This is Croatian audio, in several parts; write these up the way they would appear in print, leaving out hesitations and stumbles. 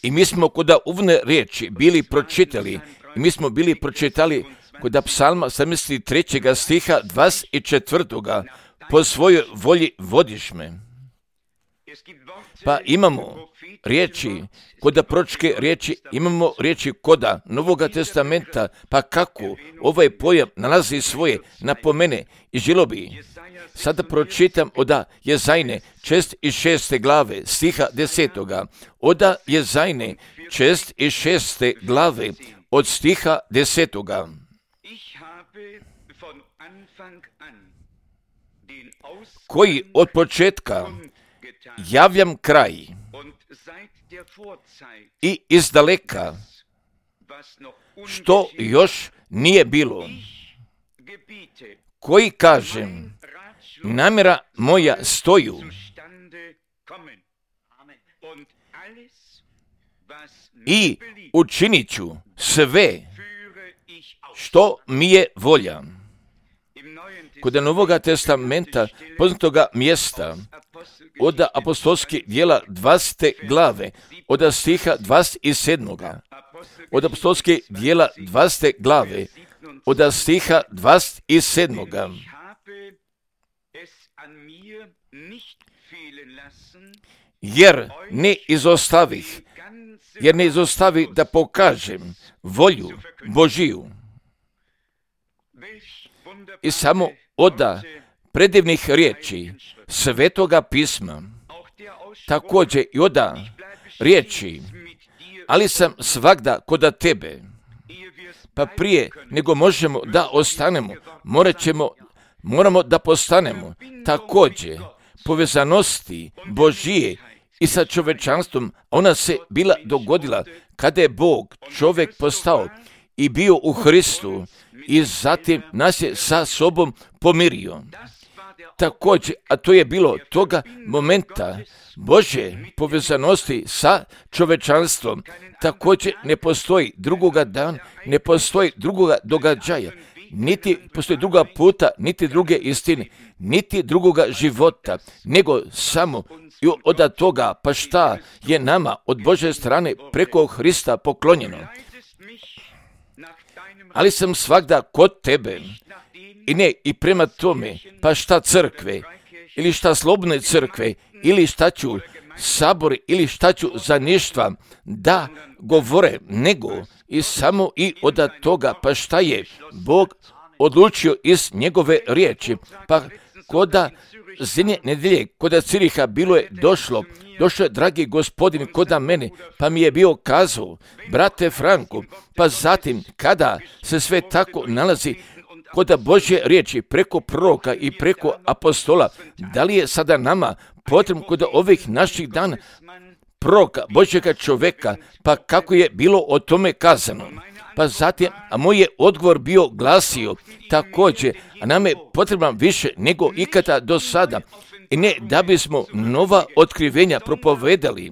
I mi smo kod uvodne riječi bili pročitali, i mi smo bili pročitali kod psalma 73. stiha 24. Po svojoj volji vodiš me. Pa imamo riječi, kod proročke riječi, imamo riječi koda Novoga testamenta, pa kako ovaj pojam nalazi svoje napomene i želo bi. Sada pročitam od Jezajne 6. glave, stiha 10. Od Jezajne 6. glave, od stiha 10. Koji od početka javljam kraj i izdaleka, što još nije bilo, koji kažem, namjera moja stoju i učinit ću sve što mi je volja. Kod Novoga testamenta poznatoga mjesta od apostolskih djela 20. glave, od stiha 27. Od apostolskih djela 20. glave, od stiha 27. Jer ne izostavih da pokažem volju Božiju. I samo od predivnih riječi Svetoga pisma, također i od riječi, ali sam svagda kod tebe. Pa prije nego možemo da ostanemo, moramo da postanemo također povezanosti Božije i sa čovečanstvom. Ona se bila dogodila kada je Bog čovjek postao i bio u Hristu i zatim nas je sa sobom pomirio. Također, a to je bilo toga momenta Božje povezanosti sa čovečanstvom. Također ne postoji drugoga dana, ne postoji drugoga događaja, niti postoji druga puta, niti druge istine, niti drugoga života, nego samo i od toga, pa šta je nama od Božje strane preko Hrista poklonjeno. Ali sam svagda kod tebe i ne i prema tome, pa šta crkve, ili šta slobodne crkve, ili šta ću sabori, ili šta ću zaništva da govore, nego i samo i od toga, pa šta je Bog odlučio iz njegove riječi. Pa koda zadnje nedelje, koda Ciriha bilo je došao je dragi gospodin koda mene, pa mi je bio kazao, brate Franku, pa zatim kada se sve tako nalazi kod Božje riječi preko proroka i preko apostola, da li je sada nama potrebno kod ovih naših dana proroka, Božjega čovjeka, pa kako je bilo o tome kazano. Pa zatim, a moj je odgovor bio glasio također, a nam je potrebno više nego ikada do sada. I ne da bismo nova otkrivenja propovedali,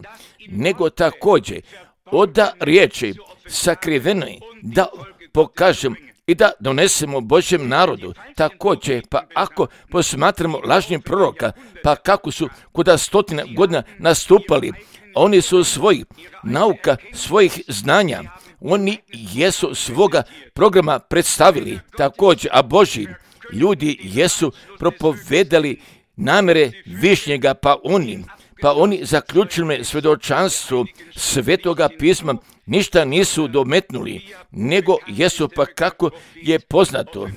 nego također od riječi sakrivene da pokažem i da donesemo Božjem narodu. Također, pa ako posmatramo lažnih proroka, pa kako su kod stotina godina nastupali, oni su svojih nauka, svojih znanja, oni jesu svoga programa predstavili također, a Božji ljudi jesu propovedali namjere višnjega, pa oni zaključili svjedočanstvo Svetoga pisma, ništa nisu dometnuli, nego jesu, pa kako je poznato,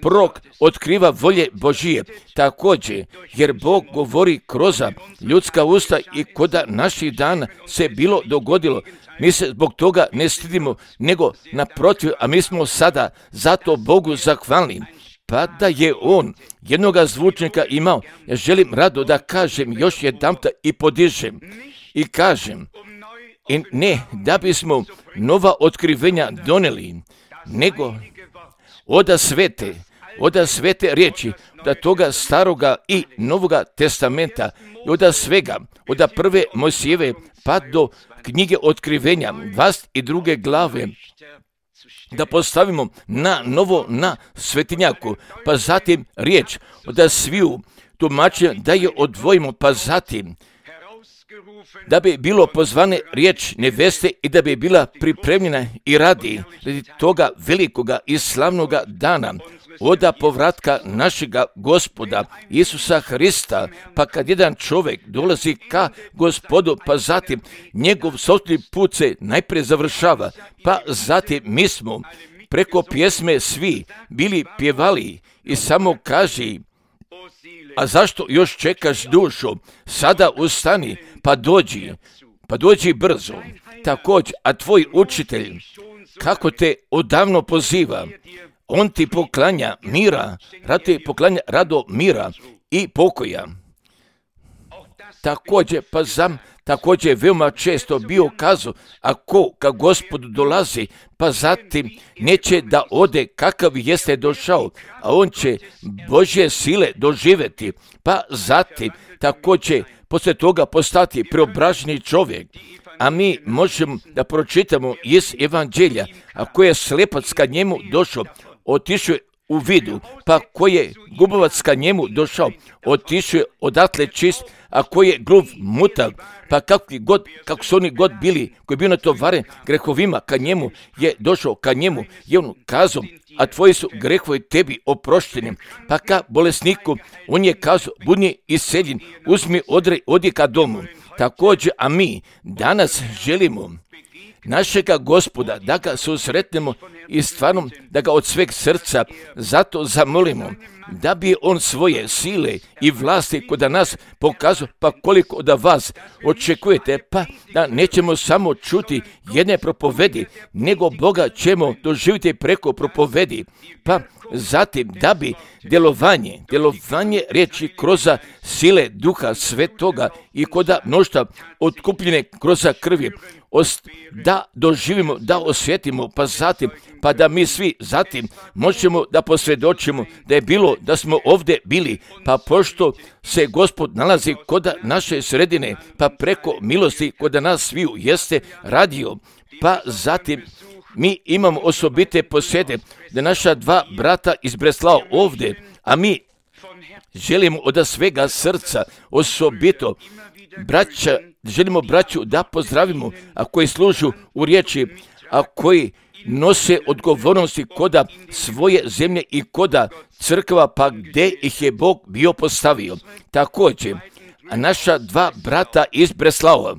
prorok otkriva volje Božije, također, jer Bog govori kroz ljudska usta i kod naših dana se bilo dogodilo. Mi se zbog toga ne stidimo, nego naprotiv, a mi smo sada zato Bogu zahvalni. Pa da je on jednoga zvučnika imao, ja želim rado da kažem još jedanput i podižem i kažem, i ne da bismo nova otkrivenja donijeli, nego od svete riječi, od toga staroga i novoga testamenta, i od svega, od prve Mojsijeve pa do knjige otkrivenja, 22. glave, da postavimo na novo na svetinjaku, pa zatim riječ od sviju tumačenja da je odvojimo, pa zatim da bi bilo pozvane riječ neveste i da bi bila pripremljena i radi toga velikoga i slavnoga dana, oda povratka našega Gospoda Isusa Hrista, pa kad jedan čovjek dolazi ka Gospodu, pa zatim njegov sopstveni put se najprije završava, pa zatim mi smo preko pjesme svi bili pjevali i samo kaži: a zašto još čekaš dušo? Sada ustani, pa dođi brzo. Također, a tvoj učitelj, kako te odavno poziva, on ti poklanja mira, rado mira i pokoja. Također je veoma često bio kazao, ako ka Gospodu dolazi, pa zatim neće da ode kakav jeste došao, a on će Božje sile doživjeti, pa zatim također poslije toga postati preobraženi čovjek. A mi možemo da pročitamo iz Evanđelja, ako je slepac ka njemu došao, otišao je u vidu, pa ko je gubovac ka njemu došao, otišao je odatle čist, a ko je gluv mutav, pa kako su oni god bili, koji je bio natovaren grehovima, ka njemu je došao, ka njemu je on kazao, a tvoji su grehovi tebi oprošteni. Pa ka bolesniku, on je kazao, budi iseljen, uzmi odi ka domu. Također, a mi danas želimo našega Gospoda da ga susretnemo i stvarno da ga od sveg srca zato zamolimo da bi on svoje sile i vlasti kod nas pokazao, pa koliko da vas očekujete, pa da nećemo samo čuti jedne propovedi, nego Boga ćemo doživjeti preko propovedi, pa zatim da bi djelovanje riječi kroz sile Duha Svetoga i kod mnoštva otkupljene kroz krvi, da doživimo, da osjetimo, pa zatim, pa da mi svi zatim možemo da posvjedočimo da je bilo, da smo ovdje bili, pa pošto se Gospod nalazi kod naše sredine, pa preko milosti kod nas sviju jeste radio, pa zatim mi imamo osobite posjede da naša dva brata iz Breslava ovdje, a mi želimo od svega srca osobito želimo braću da pozdravimo, a koji služu u riječi, a koji nose odgovornosti koda svoje zemlje i koda crkva, pa gdje ih je Bog bio postavio. Također, a naša dva brata iz Breslava,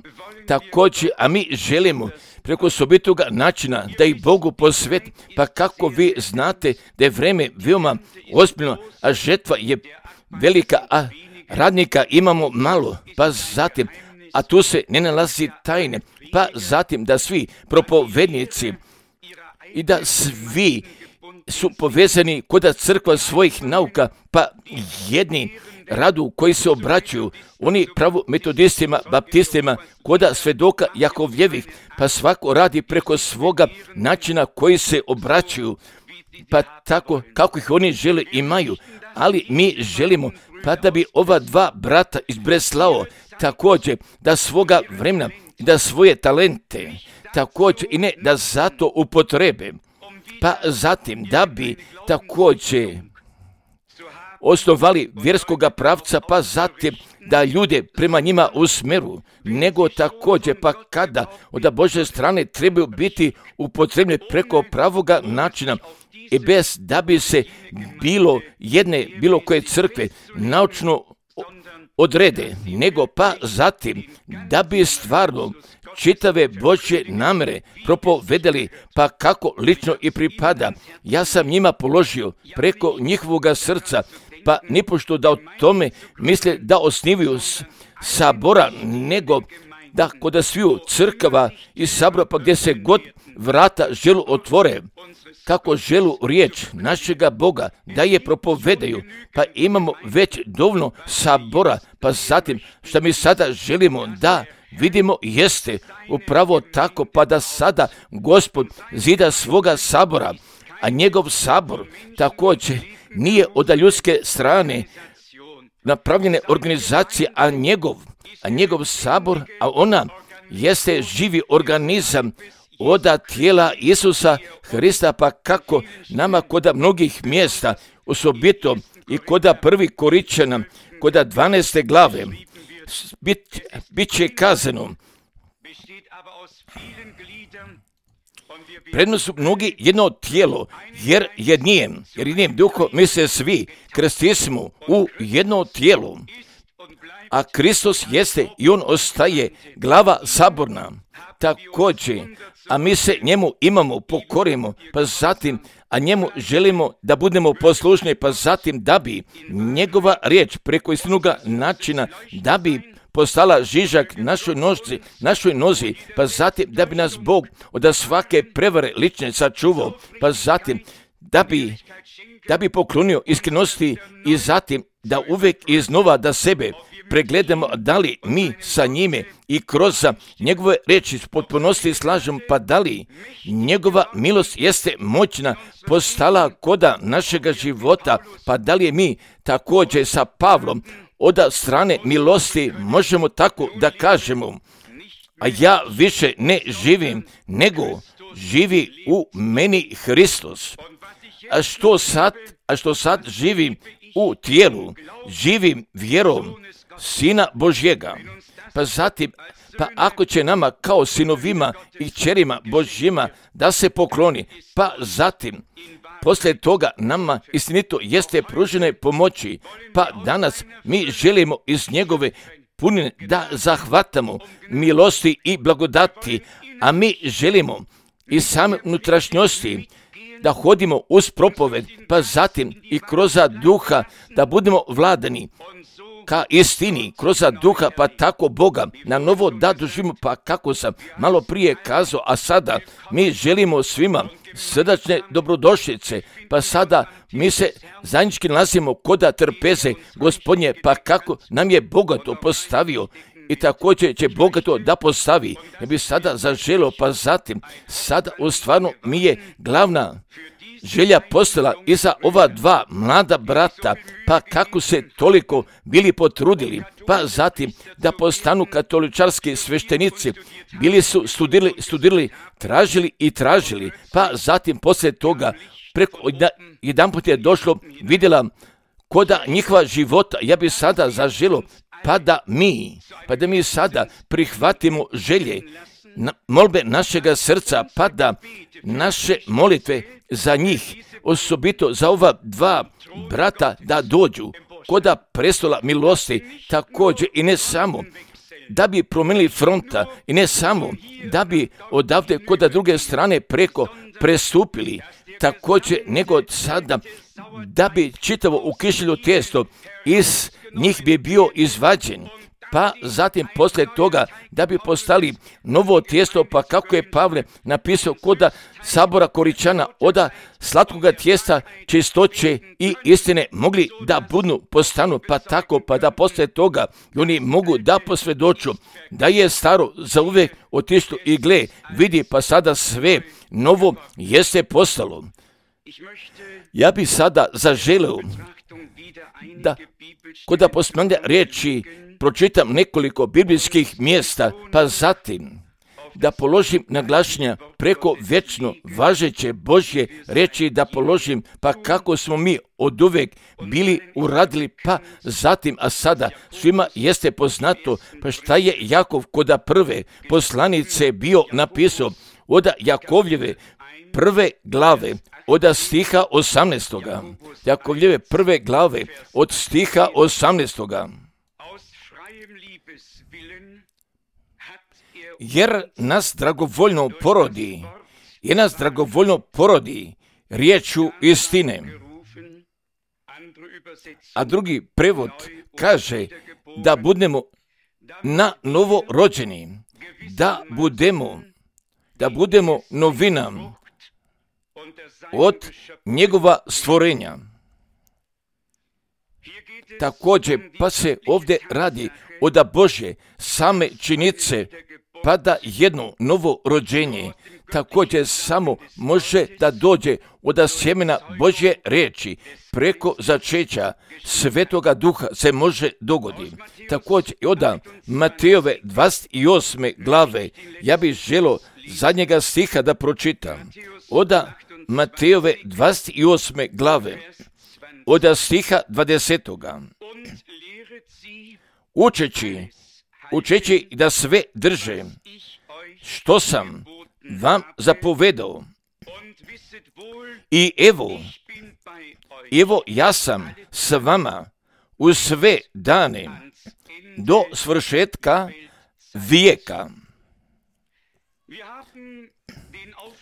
također, a mi želimo preko osobitoga načina da ih Bogu posveti, pa kako vi znate da je vreme veoma ozbiljno, a žetva je velika, a radnika imamo malo, pa zatim, a tu se ne nalazi tajne, pa zatim da svi propovednici i da svi su povezani kod crkva svojih nauka, pa jedni radu koji se obraćuju, oni pravo metodistima, baptistima, kod svedoka Jakovljevih, pa svako radi preko svoga načina koji se obraćuju, pa tako kako ih oni žele imaju, ali mi želimo pa da bi ova dva brata iz Breslava također da svoga vremena, da svoje talente također i ne da zato upotrebe, pa zatim da bi također osnovali vjerskoga pravca, pa zatim da ljude prema njima usmeru, nego također pa kada od Božje strane trebaju biti upotrebljeni preko pravoga načina i bez da bi se bilo koje crkve naučno odrede, nego pa zatim da bi stvarno čitave Božje namere propovedali, pa kako lično i pripada. Ja sam njima položio preko njihovoga srca, pa nipošto da o tome misle da osnivaju sabora, nego da kod sviju crkava i sabora, pa gdje se god vrata želu otvore, kako želu riječ našega Boga da je propovedaju, pa imamo već dovoljno sabora, pa zatim što mi sada želimo da vidimo jeste upravo tako, pa da sada Gospod zida svoga sabora, a njegov sabor također nije od ljudske strane napravljene organizacije, a njegov sabor, a ona jeste živi organizam od tijela Isusa Hrista, pa kako nama kod mnogih mjesta, osobito i kod prvi Koričana, kod 12. glave bit će kazano. Prednost su mnogi jedno tijelo, jer jednijem duhom mi se svi krstismo u jedno tijelo. A Kristus jeste i on ostaje glava saborna. Također, a mi se njemu imamo, pokorimo, pa zatim, a njemu želimo da budemo poslušni, pa zatim da bi njegova riječ preko istinoga načina, da bi postala žižak našoj nozi, pa zatim da bi nas Bog od svake prevare lične sačuvao, pa zatim da bi poklonio iskrenosti i zatim da uvijek iznova da sebe pregledamo da li mi sa njime i kroz njegove riječi potpunosti slažemo, pa da li njegova milost jeste moćna postala koda našega života, pa da li je mi također sa Pavlom od strane milosti možemo tako da kažemo, a ja više ne živim, nego živi u meni Hristos. A što sad živim u tijelu, živim vjerom Sina Božjega. Pa zatim, pa ako će nama kao sinovima i kćerima Božjima da se pokloni, pa zatim, poslije toga nama istinito jeste pružene pomoći, pa danas mi želimo iz njegove punine da zahvatamo milosti i blagodati, a mi želimo iz same unutrašnjosti da hodimo uz propoved, pa zatim i kroz duha da budemo vladani ka istini, kroz duha, pa tako Boga na novo da doživimo, pa kako sam malo prije kazao, a sada mi želimo svima srdačne dobrodošlice, pa sada mi se zajednički nalazimo koda trpeze Gospodnje, pa kako nam je bogato postavio i također će bogato da postavi. Ja bi sada zaželio, pa zatim sada u stvarno mi je glavna želja postala i za ova dva mlada brata, pa kako se toliko bili potrudili, pa zatim da postanu katoličarski sveštenici, bili su studirali, tražili, pa zatim poslije toga jedanput je došlo, vidjela koda njihova života, ja bi sada zaželio, pa da mi sada prihvatimo želje, molbe našega srca, pa da naše molitve za njih, osobito za ova dva brata, da dođu koda prestola milosti, također i ne samo da bi promijenili fronta i ne samo da bi odavde koda druge strane preko prestupili, također nego od sada da bi čitavo ukišljeno tijesto iz njih bi bio izvađen, pa zatim poslije toga da bi postali novo tijesto, pa kako je Pavle napisao koda sabora Koričana, oda slatkoga tijesta čistoće i istine mogli da postanu, pa tako, pa da poslije toga oni mogu da posvjedoču da je staro zauvijek otišlo i gle, vidi, pa sada sve novo jeste postalo. Ja bi sada zaželio da koda posmanja riječi pročitam nekoliko biblijskih mjesta, pa zatim da položim naglašenja preko vječno važeće Božje riječi, da položim pa kako smo mi oduvijek bili uradili, pa zatim, a sada svima jeste poznato, pa šta je Jakov koda prve poslanice bio napisao, od Jakovljeve prve glave, od stiha 18. Jakovljeve prve glave, od stiha 18. Jer nas dragovoljno porodi riječu istine. A drugi prevod kaže da budemo na novo rođeni, da budemo novina od njegova stvorenja. Također, pa se ovdje radi od Božje same činice, pa da jedno novo rođenje također samo može da dođe od sjemena Božje riječi, preko začeća Svetoga Duha se može dogoditi. Također od Matejove 28. glave, ja bih želio zadnjega stiha da pročitam. Od Matejove 28. glave, od stiha 20. Učeći da sve drže, što sam vam zapovedao. I evo ja sam s vama u sve dane do svršetka vijeka.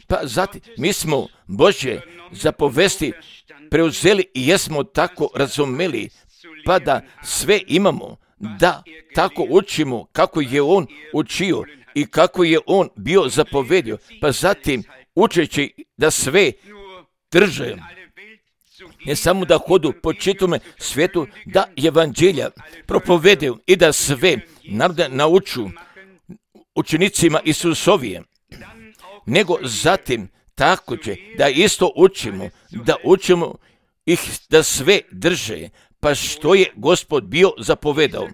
Pa zatim, mi smo Božje zapovesti preuzeli i jesmo tako razumeli, pa da sve imamo, da tako učimo kako je on učio i kako je on bio zapovedio, pa zatim učeći da sve drže, ne samo da hodu po čitome svijetu, da evanđelja propovedaju i da sve narode nauču učenicima Isusovije, nego zatim tako će da isto učimo, da učimo ih da sve drže, pa što je Gospod bio zapovedao.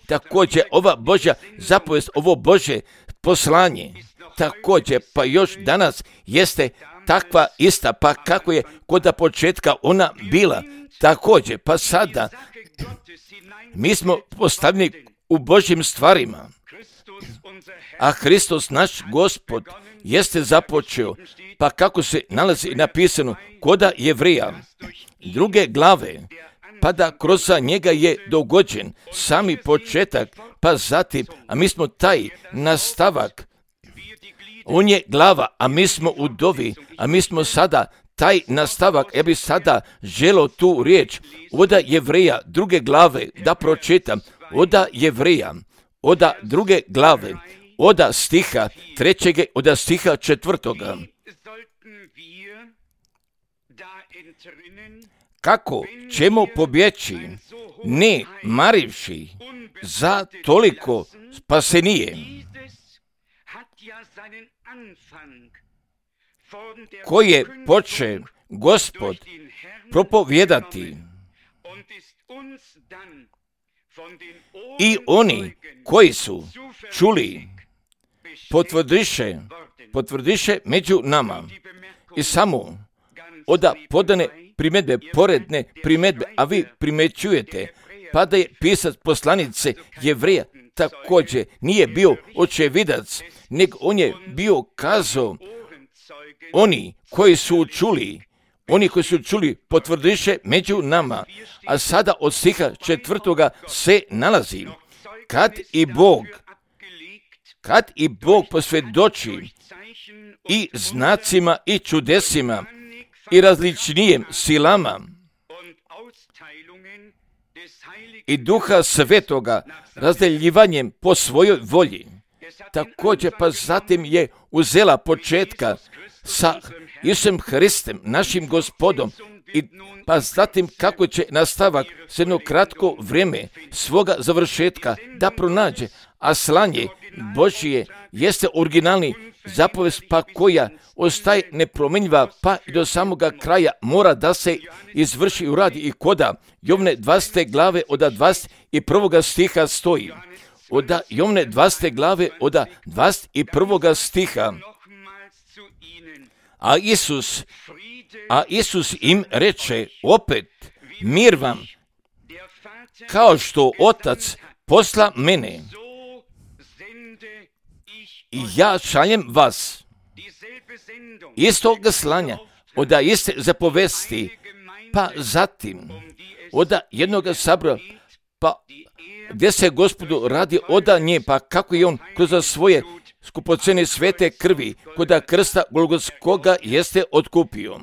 Također ova Božja zapovest, ovo Božje poslanje, također pa još danas jeste takva ista, pa kako je kod početka ona bila, također pa sada mi smo postavljeni u Božjim stvarima, a Hristos naš Gospod jeste započeo, pa kako se nalazi napisano koda Jevrija 2. glave, pa da kroz njega je dogođen sami početak, pa zatim, a mi smo taj nastavak. On je glava, a mi smo udovi, a mi smo sada taj nastavak. Ja bih sada želio tu riječ od Jevrija 2. glave da pročitam, od Jevrija, od 2. glave, od stiha 3. od stiha 4. Kako ćemo pobjeći, ne marivši za toliko spasenije, koje poče Gospod propovijedati, i oni koji su čuli potvrdiše među nama. I samo od podane primjedbe, poredne primjedbe, a vi primećujete, pa da je pisac poslanice Jevrija također nije bio očevidac, nego on je bio kazao, oni koji su čuli potvrdiše među nama. A sada od stiha 4. se nalazi, kad i Bog posvjedoči i znacima i čudesima i različnijim silama i Duha Svetoga razdeljivanjem po svojoj volji. Također pa zatim je uzela početka sa Isusom Hristom, našim Gospodom, i pa zatim kako će nastavak s jedno kratko vrijeme svoga završetka da pronađe, a slanje Božje jeste originalni zapovest, pa koja ostaje nepromjenjiva, pa i do samoga kraja mora da se izvrši i uradi. I koda Jovne 20. glave od 21. stiha stoji, od Jovne 20. glave od 21. stiha, a Isus im reče opet, mir vam, kao što Otac posla mene, i ja šaljem vas. Istog slanja, od iste zapovesti, pa zatim od jednog sabora, pa gdje se Gospodu radi od nje, pa kako je on kroz svoje skupocjene svete krvi koda krsta Golgotskoga jeste otkupio.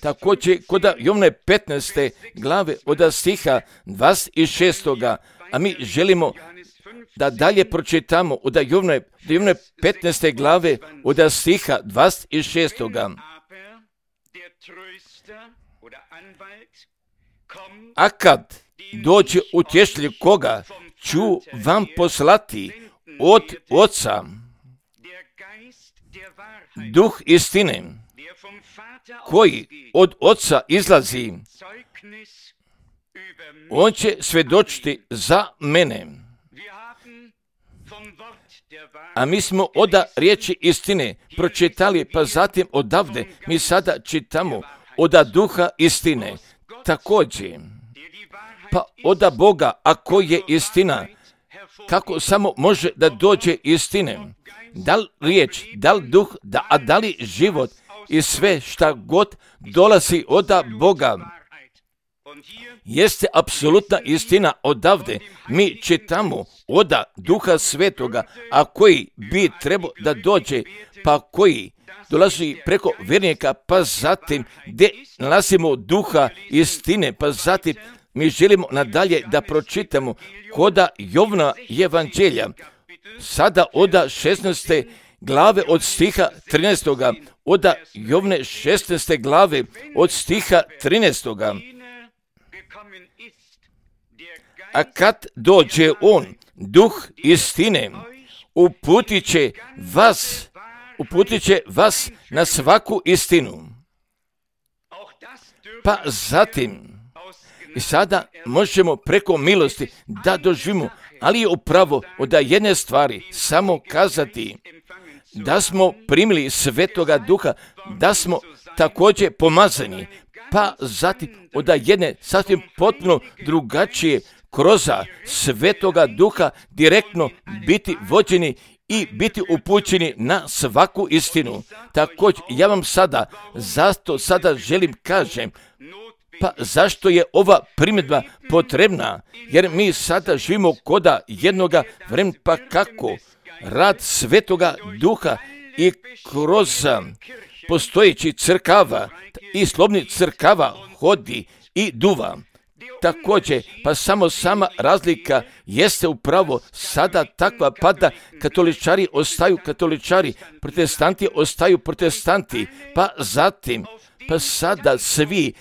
Također koda Jovne 15. glave od stiha 26. A mi želimo da dalje pročitamo od Jovne 15. glave od stiha 26. A kad dođe utješitelj koga ću vam poslati od Oca, Duh istine, koji od Oca izlazi, on će svjedočiti za mene. A mi smo od riječi istine pročitali, pa zatim odavde mi sada čitamo od Duha istine. također, pa oda Boga, ako je istina, kako samo može da dođe istine? Da li riječ, da li duh, da li život i sve šta god dolazi oda Boga, jeste apsolutna istina odavde. Mi čitamo oda Duha Svetoga, a koji bi trebao da dođe, pa koji dolazi preko vjernika, pa zatim gdje nalazimo Duha istine, pa zatim mi želimo nadalje da pročitamo koda Jovna evanđelja, sada oda 16. glave od stiha 13. Oda Jovne 16. glave od stiha 13. A kad dođe on, Duh istine, uputit će vas na svaku istinu. Pa zatim, i sada možemo preko milosti da doživimo, ali je upravo od jedne stvari samo kazati da smo primili Svetoga Duha, da smo također pomazani, pa zatim od jedne sasvim potpuno drugačije kroz Svetoga Duha direktno biti vođeni i biti upućeni na svaku istinu. Također, ja vam sada želim kažem, pa zašto je ova primjedba potrebna? Jer mi sada živimo koda jednoga vremena, pa kako rad Svetoga Duha i kroz postojeći crkava i slobodnih crkava hodi i duva. Također, pa samo sama razlika jeste upravo sada takva, pa da katoličari ostaju katoličari, protestanti ostaju protestanti, pa zatim, pa sada svi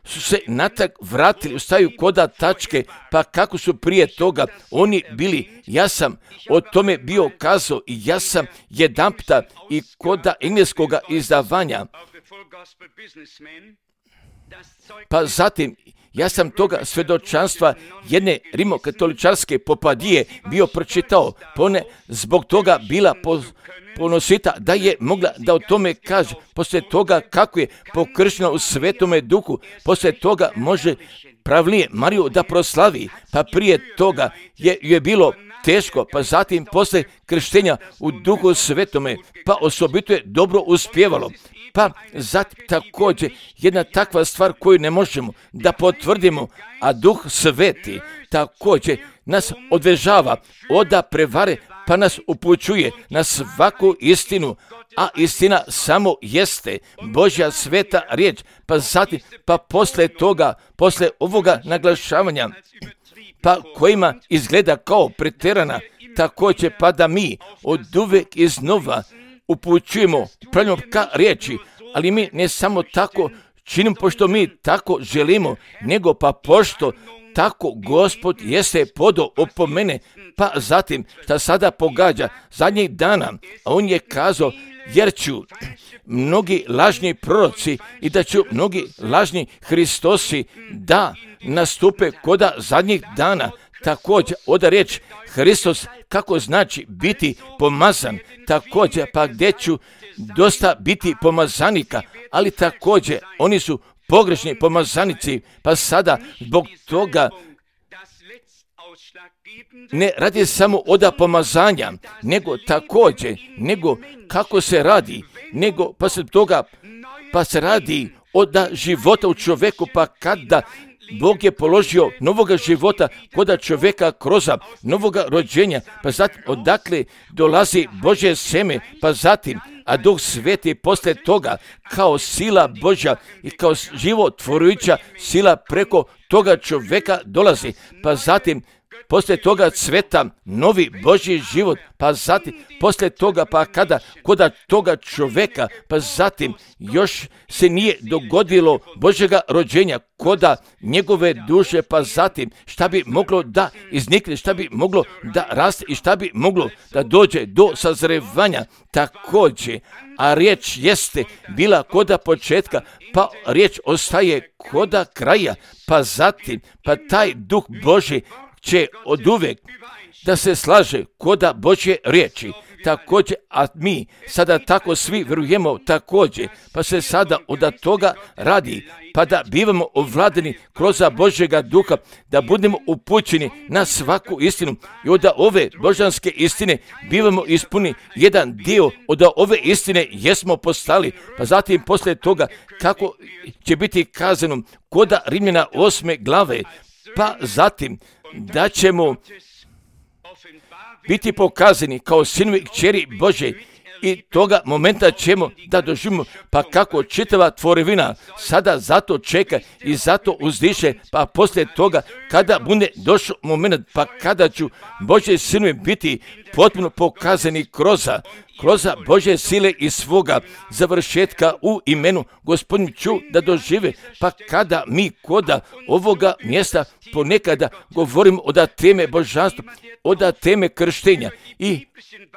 su se natak vratili, ostaju koda tačke, pa kako su prije toga oni bili. Ja sam o tome bio kazao i ja sam jedanputa i koda engleskoga izdavanja, pa zatim ja sam toga svjedočanstva jedne rimokatoličarske popadije bio pročitao, pa ona zbog toga bila ponosita da je mogla da o tome kaže. Poslije toga kako je pokrštena u Svetome Duhu, poslije toga može pravilnije Mariju da proslavi, pa prije toga je bilo teško, pa zatim poslije krštenja u Duhu Svetome, pa osobito je dobro uspjevalo. Pa zatim također jedna takva stvar koju ne možemo da potvrdimo, a Duh Sveti također nas odvežava oda prevare, pa nas upućuje na svaku istinu, a istina samo jeste Božja sveta riječ. Pa zatim, pa poslije ovoga naglašavanja, pa kojima izgleda kao pretjerana, također pa da mi od uvijek iznova upućujemo pravljamo ka riječi, ali mi ne samo tako činimo pošto mi tako želimo, nego pa pošto tako Gospod jeste podao opomene, pa zatim šta sada pogađa zadnjih dana, a on je kazao jer ću mnogi lažni proroci i da ću mnogi lažni Hristosi da nastupe koda zadnjih dana. Također, oda riječ Hristos kako znači biti pomazan, također pa gdje ću dosta biti pomazanika, ali također oni su pogrešni pomazanici, pa sada zbog toga ne radi samo oda pomazanja, nego također, nego kako se radi, nego pa se toga, pa se radi oda života u čovjeku, pa kada Bog je položio novoga života koda čovjeka kroz novoga rođenja, pa zatim odakle dolazi Božje seme, pa zatim, a Duh Sveti poslije toga kao sila Božja i kao životvorujuća sila preko toga čovjeka dolazi, pa zatim poslije toga cveta novi Božji život, pa zatim poslije toga pa kada koda toga čovjeka, pa zatim još se nije dogodilo Božjega rođenja koda njegove duše, pa zatim šta bi moglo da iznikne, šta bi moglo da raste i šta bi moglo da dođe do sazrevanja također, a riječ jeste bila koda početka, pa riječ ostaje koda kraja, pa zatim pa taj Duh Božji će oduvijek da se slaže koda Božje riječi. također, a mi sada tako svi vjerujemo također, pa se sada od toga radi, pa da bivamo ovladani kroz Božjega duha, da budemo upućeni na svaku istinu i od ove božanske istine bivamo ispuni jedan dio od ove istine jesmo postali, pa zatim poslije toga kako će biti kazano kod Rimljana 8. glave, pa zatim da ćemo biti pokazani kao sinovi i kćeri Božje i toga momenta ćemo da doživimo, pa kako čitava tvorevina sada zato čeka i zato uzdiše, pa poslije toga kada bude došao moment, pa kada ću Božje sinovi biti potpuno pokazani kroz Božje sile i svoga završetka u imenu Gospodin ću da dožive, pa kada mi koda ovoga mjesta ponekada govorimo od teme božanstva, od teme krštenja i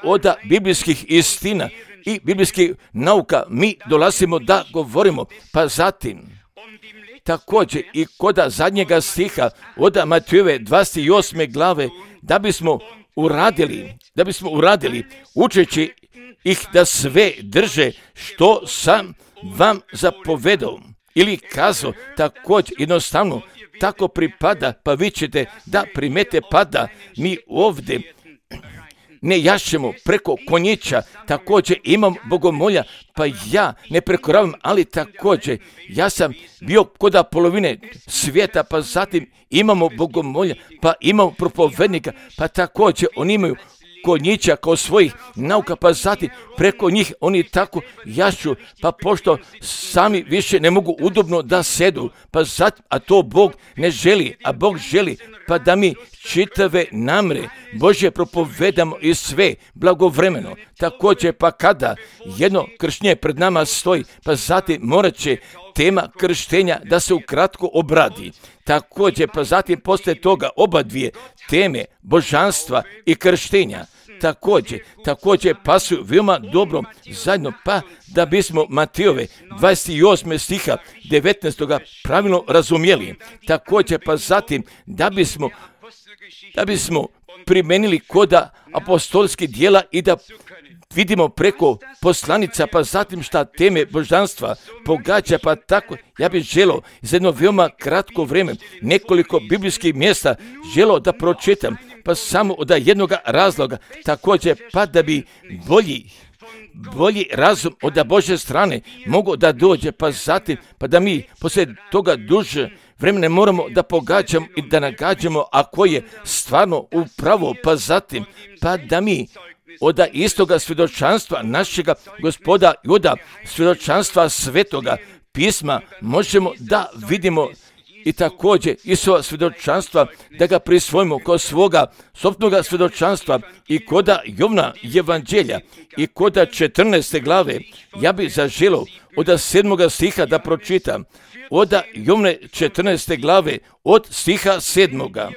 od biblijskih istina i biblijskih nauka, mi dolazimo da govorimo, pa zatim također i kod zadnjega stiha od Matejove 28. glave, da bismo uradili učeći ih da sve drže što sam vam zapovedao ili kazao, također jednostavno tako pripada, pa vi ćete da primete, pa da mi ovdje ne jašemo preko konjića, također imam bogomolja, pa ja ne prekoravam, ali također ja sam bio kod polovine svijeta, pa zatim imamo bogomolja, pa imamo propovednika, pa također oni imaju konjića kao svojih nauka, pa zatim preko njih oni tako jašu, pa pošto sami više ne mogu udobno da sedu, pa zatim, a to Bog ne želi, a Bog želi, pa da mi čitave namre Božje propovedamo i sve blagovremeno. Također, pa kada jedno krštenje pred nama stoji, pa zatim morat će tema krštenja da se ukratko obradi. Također, pa zatim poslije toga oba dvije teme božanstva i krštenja također pasuju veoma dobro zajedno, pa da bismo Matejove 28. stiha 19. pravilno razumjeli. Također, pa zatim da bismo primenili koda apostolskih djela i da vidimo preko poslanica, pa zatim šta teme božanstva pogađa, pa tako ja bih želio za jedno veoma kratko vrijeme nekoliko biblijskih mjesta želio da pročitam, pa samo od jednog razloga, također pa da bi bolji razum od Božje strane mogu da dođe, pa zatim pa da mi poslije toga duže vremena moramo da pogađamo i da nagađamo ako je stvarno upravo, pa zatim pa da mi od istoga svjedočanstva našega Gospoda i od svjedočanstva Svetoga pisma možemo da vidimo i također Isova svjedočanstva da ga prisvojimo kao svoga sopnoga svjedočanstva i koda Jovna evanđelja i koda 14. glave. Ja bih zaželio od 7. stiha da pročitam od Jovne 14. glave od stiha 7.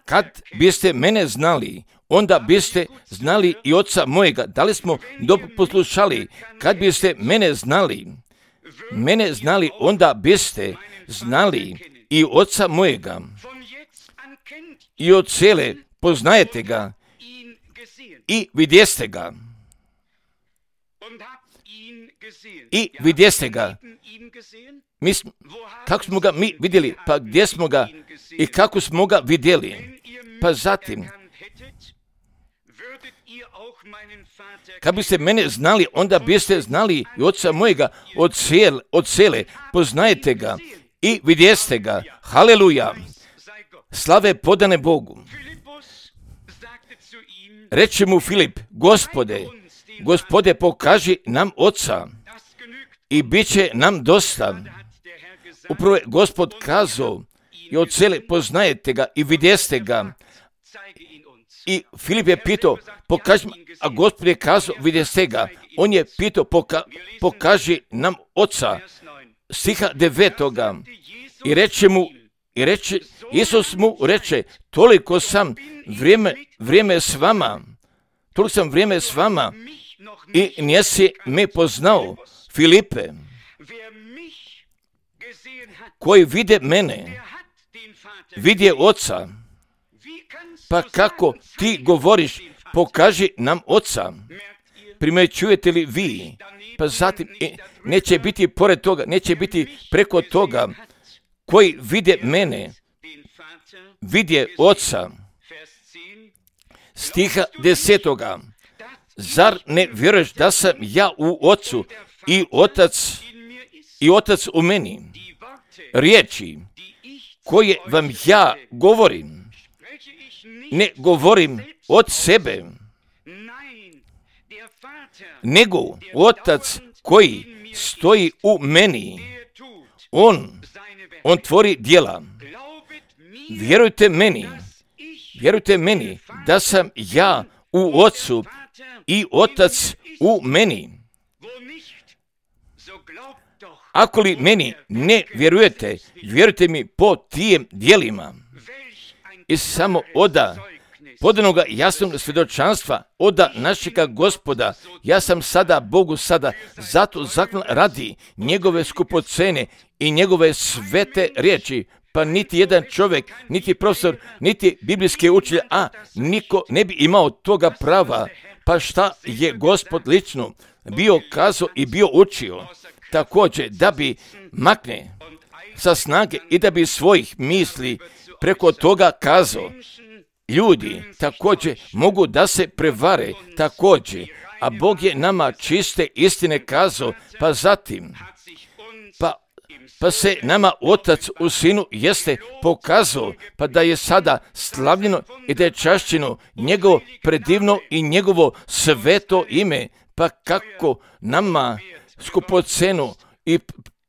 Kad biste mene znali, onda biste znali i oca mojega. Da li smo dobro poslušali? Kad biste mene znali, onda biste znali i oca mojega. I od cijele poznajete ga i vidjeste ga. I vidjeste ga. Kako smo ga mi vidjeli? Pa gdje smo ga i kako smo ga vidjeli? Pa zatim, kad biste mene znali, onda biste znali i oca mojega od cijele. Poznajete ga i vidjeste ga. Haleluja. Slave podane Bogu. Reče mu Filip, Gospode, pokaži nam oca i bit će nam dosta. Upravo je Gospod kazao i od cijele poznajete ga i vidjeste ga. I Filip je pitao, pokaži, a Gospod je kazao, vidjeste ga. On je pitao, pokaži nam oca. Stiha 9. Isus mu reče, toliko sam vrijeme s vama i nisi me poznao, Filipe. Koji vide mene, vidje oca. Pa kako ti govoriš, pokaži nam Oca. Primećujete li vi? Pa zatim neće biti pored toga, neće biti preko toga, koji vide mene, vidje Oca. Stiha 10. Zar ne vjeruješ da sam ja u Ocu i Otac u meni? Riječi koje vam ja govorim, ne govorim od sebe, nego Otac koji stoji u meni, on tvori djela. Vjerujte meni da sam ja u Ocu i Otac u meni. Ako li meni ne vjerujete, vjerujte mi po tijem djelima. I samo oda podanoga jasnog svjedočanstva, oda našega Gospoda, ja sam sada Bogu zato zaklan radi njegove skupocene i njegove svete riječi, pa niti jedan čovjek, niti profesor, niti biblijski učitelj, niko ne bi imao toga prava. Pa šta je Gospod lično bio kazao i bio učio? Također da bi makne sa snage i da bi svojih misli preko toga kazao. Ljudi također mogu da se prevare također, a Bog je nama čiste istine kazao, pa zatim, pa se nama Otac u Sinu jeste pokazao, pa da je sada slavljeno i da je čašćeno njegovo predivno i njegovo sveto ime, pa kako nama skupocenu i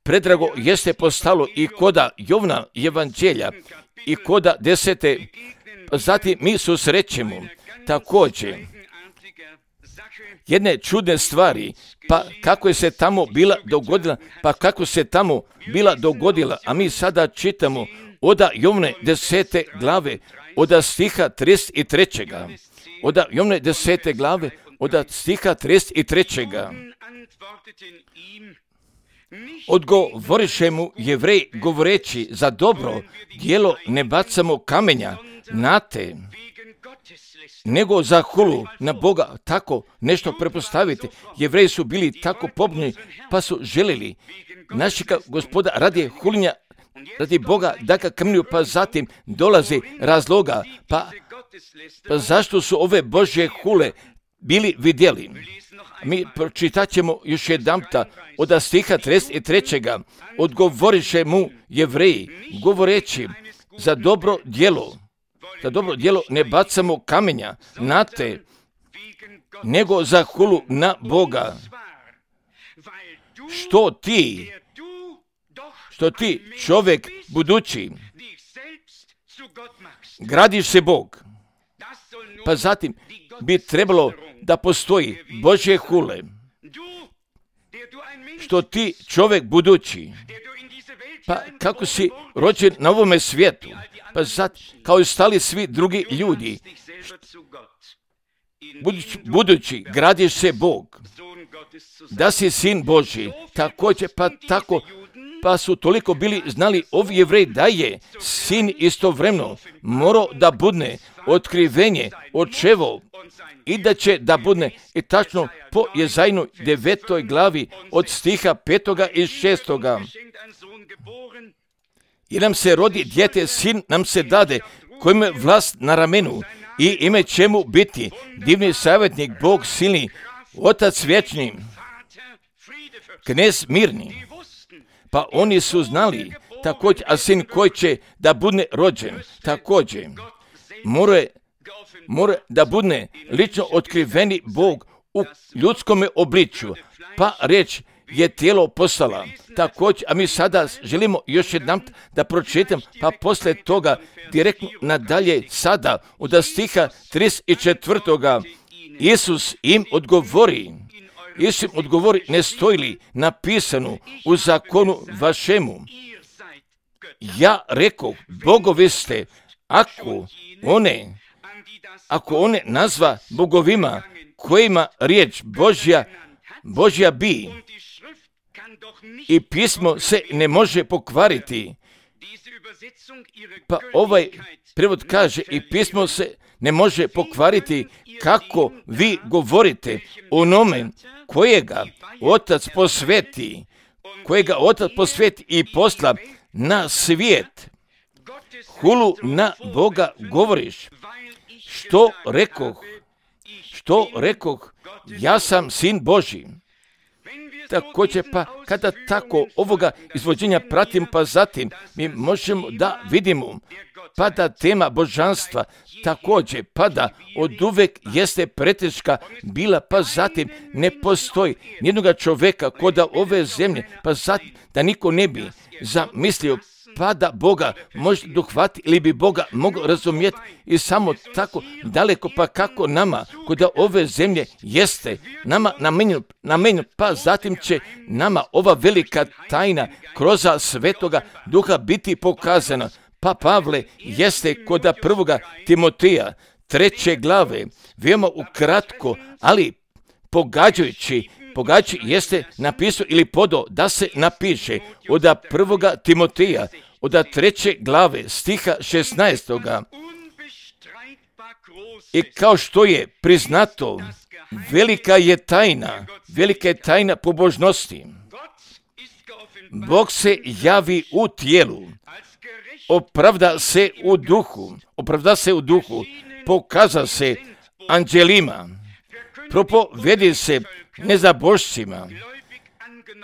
predrago jeste postalo i koda Jovna evanđelja i koda 10. Zatim mi susrećemo također jedne čudne stvari, pa kako je se tamo bila dogodila, a mi sada čitamo oda Jovne 10. glave, oda stiha 33. Oda Jovne 10. glave, oda stiha 33. Odgovoriše mu Jevrej govoreći, za dobro djelo ne bacamo kamenja na te, nego za hulu na Boga. Tako nešto prepostaviti. Jevreji su bili tako pobuni, pa su željeli našega Gospoda radi hulinja, radi Boga da ga kamenju, pa zatim dolazi razloga, pa zašto su ove Božje hule bili vidjeli. Mi pročitat ćemo još jedanputa od stiha 33. Odgovoriše mu Jevreji govoreći, za dobro djelo ne bacamo kamenja na te, nego za hulu na Boga. Što ti čovjek budući gradiš se Bog. Pa zatim bi trebalo da postoji Božje hule. Što ti čovjek budući, pa kako si rođen na ovome svijetu, pa zatim kao i stali svi drugi ljudi, budući gradiš se Bog, da si sin Božji, također pa su toliko bili znali ovi Jevreji da je sin istovremeno morao da budne otkrivenje očevo i da će da budne i tačno po Jezajinu 9. glavi od stiha 5. i 6. I nam se rodi dijete, sin nam se dade, kojim je vlast na ramenu i ime će mu biti divni savjetnik, Bog silni, Otac vječni, knez mirni. Pa oni su znali također, a sin koji će da budne rođen, također mora da budne lično otkriveni Bog u ljudskom obličju, pa riječ je tijelo postala. Također, a mi sada želimo još jednom da pročitam, pa poslije toga direktno nadalje sada od stiha 34. Isus im odgovori, ne stoji li napisano u zakonu vašemu? Ja rekoh, bogovi ste, ako one nazva bogovima kojima riječ Božja bi, i pismo se ne može pokvariti, Pa ovaj prevod kaže i pismo se ne može pokvariti kako vi govorite onome kojega Otac posveti, i posla na svijet. Hulu na Boga govoriš. Što rekoh, ja sam sin Božji. Također pa kada tako ovoga izvođenja pratim, pa zatim mi možemo da vidimo pa da tema božanstva također pada od uvek jeste preteška bila, pa zatim ne postoji nijednoga čovjeka koda ove zemlje, pa zatim da niko ne bi zamislio pa da Boga može dohvati ili bi Boga mogao razumjeti i samo tako daleko, pa kako nama koda ove zemlje jeste nama namenjeno, pa zatim će nama ova velika tajna kroz Svetoga Duha biti pokazana. Pa Pavle jeste koda 1. Timoteja 3. glave, veoma ukratko, ali pogađajući jeste napisao ili podao da se napiše od 1. Timoteja, od 3. glave stiha 16. I kao što je priznato, velika je tajna pobožnosti. Bog se javi u tijelu, opravda se u duhu, pokaza se anđelima, propovedi se nezabošcima,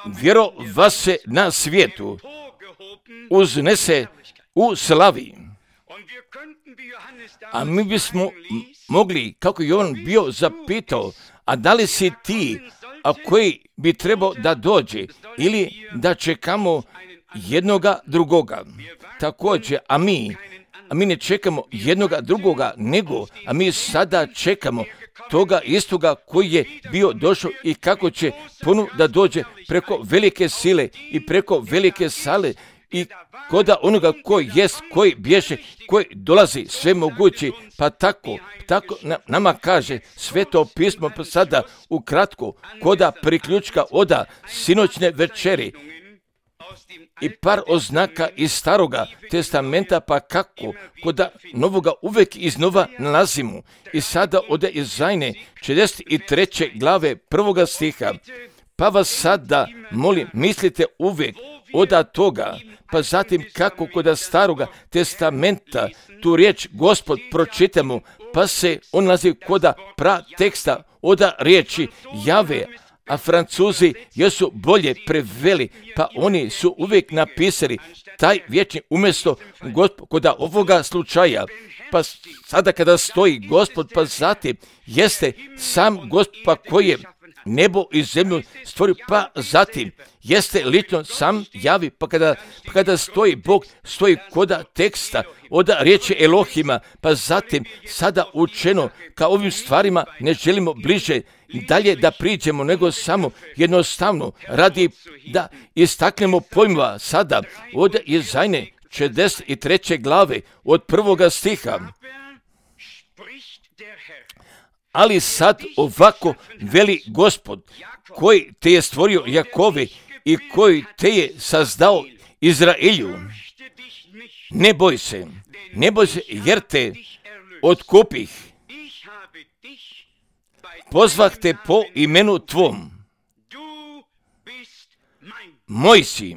vjerova se na svijetu, uznese u slavi. A mi bismo mogli, kako Jovan bio zapitao, a da li si ti, a koji bi trebao da dođe, ili da čekamo jednoga drugoga. Također, a mi ne čekamo jednoga drugoga, nego, a mi sada čekamo toga istoga koji je bio došao i kako će ponovno da dođe preko velike sile i preko velike sale i koda onoga koji jest, koji bješe, koji dolazi sve mogući, pa tako nama kaže Sveto pismo pa sada ukratko koda priključka oda sinoćne večeri i par oznaka iz Staroga testamenta, pa kako koda Novoga uvek iznova nalazimo. I sada ode iz Zajne 43. glave 1. stiha. Pa vas sada molim, mislite uvek oda toga, pa zatim kako koda Staroga testamenta tu riječ Gospod pročitamo, pa se on nalazi koda teksta oda riječi Jave, a Francuzi jesu bolje preveli, pa oni su uvijek napisali taj vječni umjesto Gospod koda ovoga slučaja. Pa sada kada stoji Gospod, pa zatim jeste sam Gospod pa koji je nebo i zemlju stvorio, pa zatim jeste lično sam javi, pa kada stoji Bog, stoji koda teksta od riječi Elohima, pa zatim sada učeno ka ovim stvarima ne želimo bliže dalje da priđemo, nego samo jednostavno radi da istaknemo pojmova sada od Jezajne 43. glave od 1. stiha. Ali sad ovako veli Gospod, koji te je stvorio Jakove i koji te je sazdao Izraelju. Ne boj se, jer te otkupih. Pozvah te po imenu tvom. Moj si.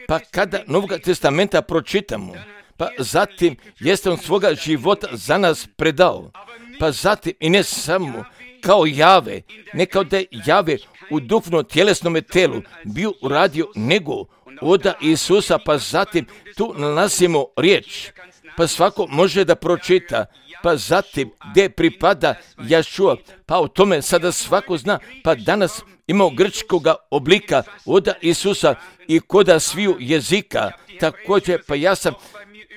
Pa kada Novog testamenta pročitamo, pa zatim jeste on svoga života za nas predao, pa zatim i ne samo kao Jave, ne kao da je Jave u duhovno tjelesnome telu bio uradio, nego oda Isusa, pa zatim tu nalazimo riječ, pa svako može da pročita, pa zatim gdje pripada Jašua, pa o tome sada svako zna, pa danas imao grčkoga oblika oda Isusa i koda sviju jezika, također pa ja sam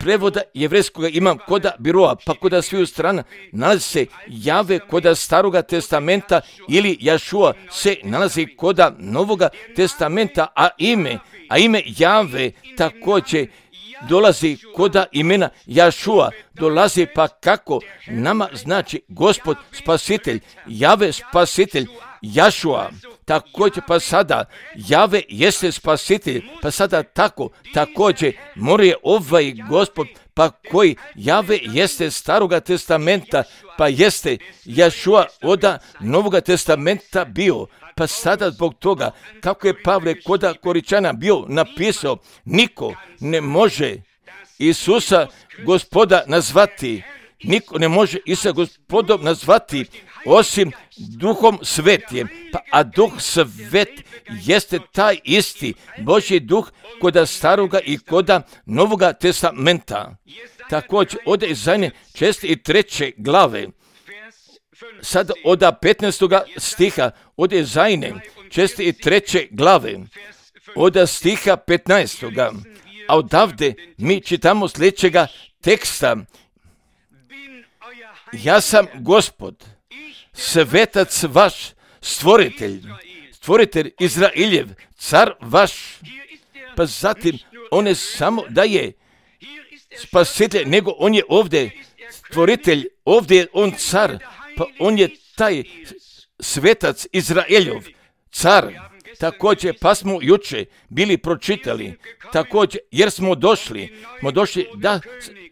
prevoda jevrejskoga imam koda biroa, pa koda sviju strana nalazi se Jave koda Staroga testamenta ili Jašua se nalazi koda Novoga testamenta, a ime Jave također dolazi koda imena Jašua, dolazi pa kako nama znači Gospod spasitelj, Jave spasitelj, Jašua, također pa sada Jave jeste spasitelj, pa sada također more ovaj Gospod, pa koji Jave jeste Staroga testamenta, pa jeste Jašua od Novoga testamenta bio. Pa sada zbog toga, kako je Pavle koda Koričana bio napisao, niko ne može Isusa Gospoda nazvati, niko ne može Isusa Gospodom nazvati osim Duhom Svetijem. A Duh Svet jeste taj isti Božji Duh koda Staroga i koda Novoga testamenta. Također od Izaije 63. glave, sad od 15. stiha, od Izaije 63. glave, od stiha 15. A odavde mi čitamo sljedećega teksta. Ja sam Gospod, svetac vaš, stvoritelj Izraeljev, car vaš. Pa zatim on ne samo da je spasitelj, nego on je ovdje stvoritelj, ovdje je on car, pa on je taj svetac Izraeljov, car. Također, pa smo juče bili pročitali, također, jer smo došli da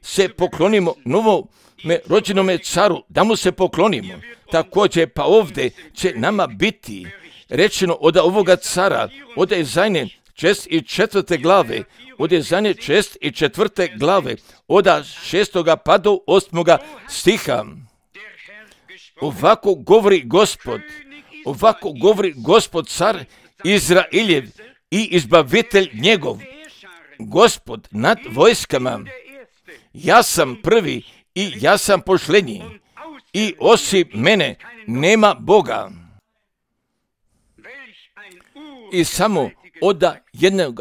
se poklonimo novome rođenome caru, da mu se poklonimo. Također, pa ovdje će nama biti rečeno od ovoga cara, od Izaije 64. glave, od Izaije 64. glave, od 6. pa do 8. stiha. Ovako govori Gospod car Izraeljev i izbavitelj njegov, Gospod nad vojskama. Ja sam prvi i ja sam posljednji i osim mene nema Boga. I samo od jednog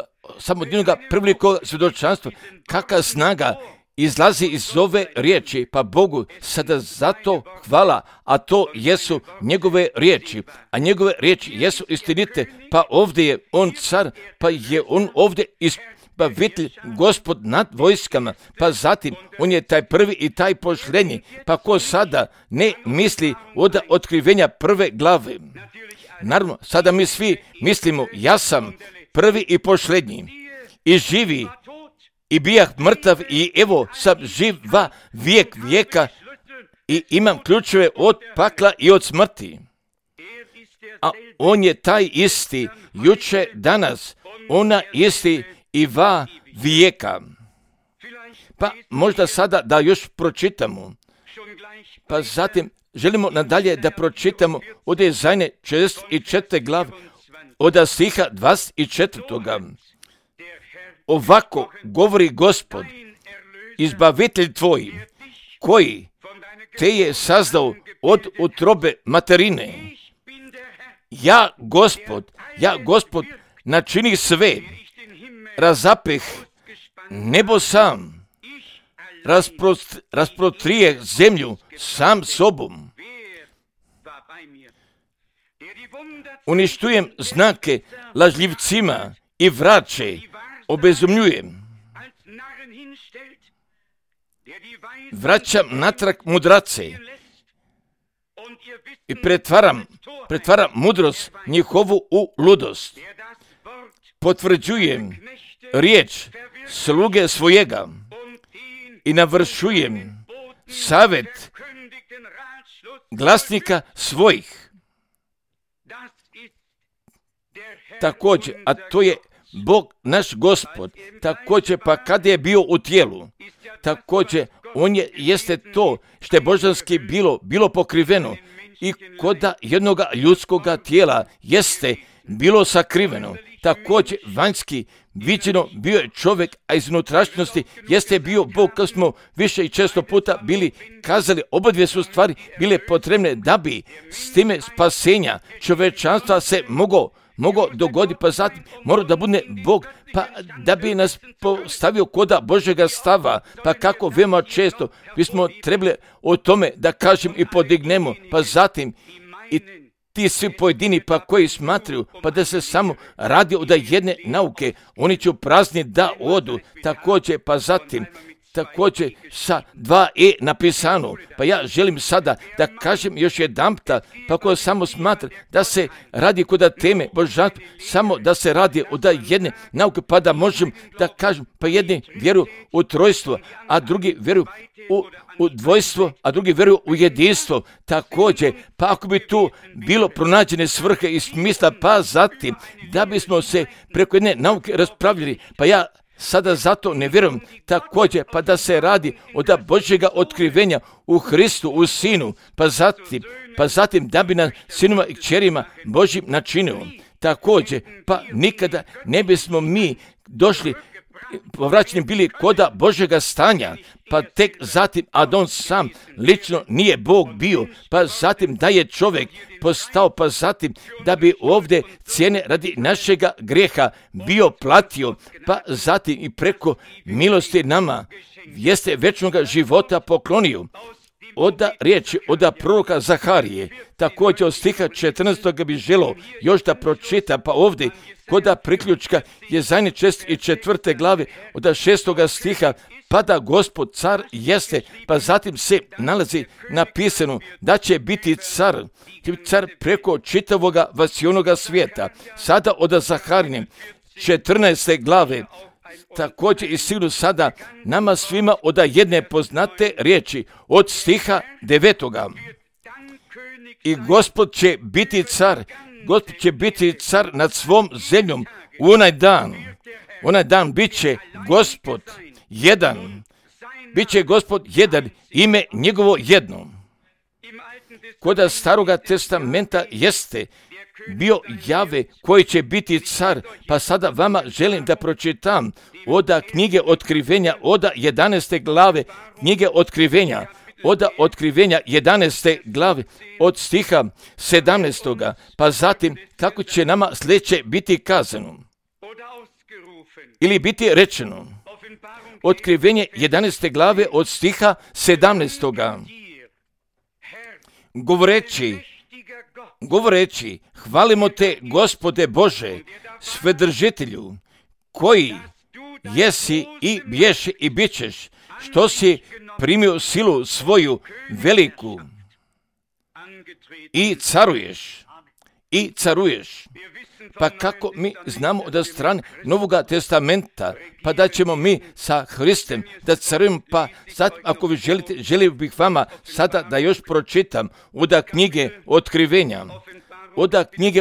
prvelikog svjedočanstva, kakva snaga izlazi iz ove riječi, pa Bogu sada zato hvala, a to jesu njegove riječi, a njegove riječi jesu istinite, pa ovdje je on car, pa je on ovdje izbavitelj, Gospod nad vojskama, pa zatim on je taj prvi i taj posljednji, pa ko sada ne misli od otkrivenja prve glave. Naravno, sada mi svi mislimo, ja sam prvi i posljednji i živi, i bijah mrtav i evo sam živa vijek vijeka i imam ključeve od pakla i od smrti. A on je taj isti, juče, danas, ona isti i va vijeka. Pa možda sada da još pročitamo. Pa zatim želimo nadalje da pročitamo od Izaije 64. glave, od stiha 24. Ovako govori Gospod, izbavitelj tvoj, koji te je sazdao od utrobe materine. Ja, Gospod, načini sve, razapeh nebo sam, rasprostrije zemlju sam sobom. Uništujem znake lažljivcima i vraće, obezumljujem. Vraćam natrag mudrace i pretvaram mudrost njihovu u ludost. Potvrđujem riječ sluge svojega i navršujem savjet glasnika svojih. Također, a to je Bog naš Gospod, također pa kada je bio u tijelu, također on jeste to što je božanski bilo pokriveno i koda jednoga ljudskoga tijela jeste bilo sakriveno. Također vanjski viđeno bio je čovjek, a iz unutrašnjosti jeste bio Bog, kao smo više i često puta bili kazali, obadvije su stvari bile potrebne da bi s time spasenja čovječanstva se moglo dogoditi, pa zatim mora da bude Bog, pa da bi nas postavio koda Božjega stava, pa kako veoma često bismo trebali o tome da kažem i podignemo, pa zatim i ti svi pojedini pa koji smatraju pa da se samo radi od jedne nauke, oni će prazni da odu, također pa zatim također sa 2 napisano. Pa ja želim sada da kažem još jedanputa, pa ko samo smatra da se radi kod teme božanstva, samo da se radi od jedne nauke, pa da možem da kažem, pa jedni vjeruju u trojstvo, a drugi vjeruju u dvojstvo, a drugi vjeruju u jedinstvo. Također, pa ako bi tu bilo pronađene svrhe i smisla, pa zatim da bismo se preko jedne nauke raspravljali, pa ja sada zato ne vjerujem također, pa da se radi od Božjega otkrivenja u Hristu, u Sinu, pa zatim da bi na sinima i kćerima Božjim načinio. Također, pa nikada ne bismo mi došli, povraćeni bili koda Božjega stanja, pa tek zatim, a da on sam lično nije Bog bio, pa zatim da je čovjek postao, pa zatim da bi ovdje cijene radi našega grijeha bio platio, pa zatim i preko milosti nama jeste večnoga života poklonio. Oda riječi, oda proroka Zaharije, također od stiha 14. bi želio još da pročita, pa ovdje koda priključka je zadnje 4. glave od 6. stiha, pa da Gospod car jeste, pa zatim se nalazi napisano da će biti car preko čitavoga vasionoga svijeta. Sada od Zaharije 14. glave, također i sigurno sada nama svima od jedne poznate riječi od stiha 9. I Gospod će biti car nad svom zemljom u onaj dan bit će Gospod jedan, ime njegovo jedno. Koda Staroga testamenta jeste bio Jave koji će biti car, pa sada vama želim da pročitam oda knjige otkrivenja, oda 11. glave knjige otkrivenja, oda otkrivenja 11. glave od stiha 17. Pa zatim kako će nama sljedeće biti kazano ili biti rečeno. Otkrivenje 11. glave od stiha 17. Govoreći, hvalimo te, Gospode Bože, Svedržitelju, koji jesi i bješi i bićeš, što si primio silu svoju veliku i caruješ. Pa kako mi znamo od strane Novoga testamenta, pa da ćemo mi sa Hristem da carujemo, pa sad ako vi želite, želio bih vama sada da još pročitam od knjige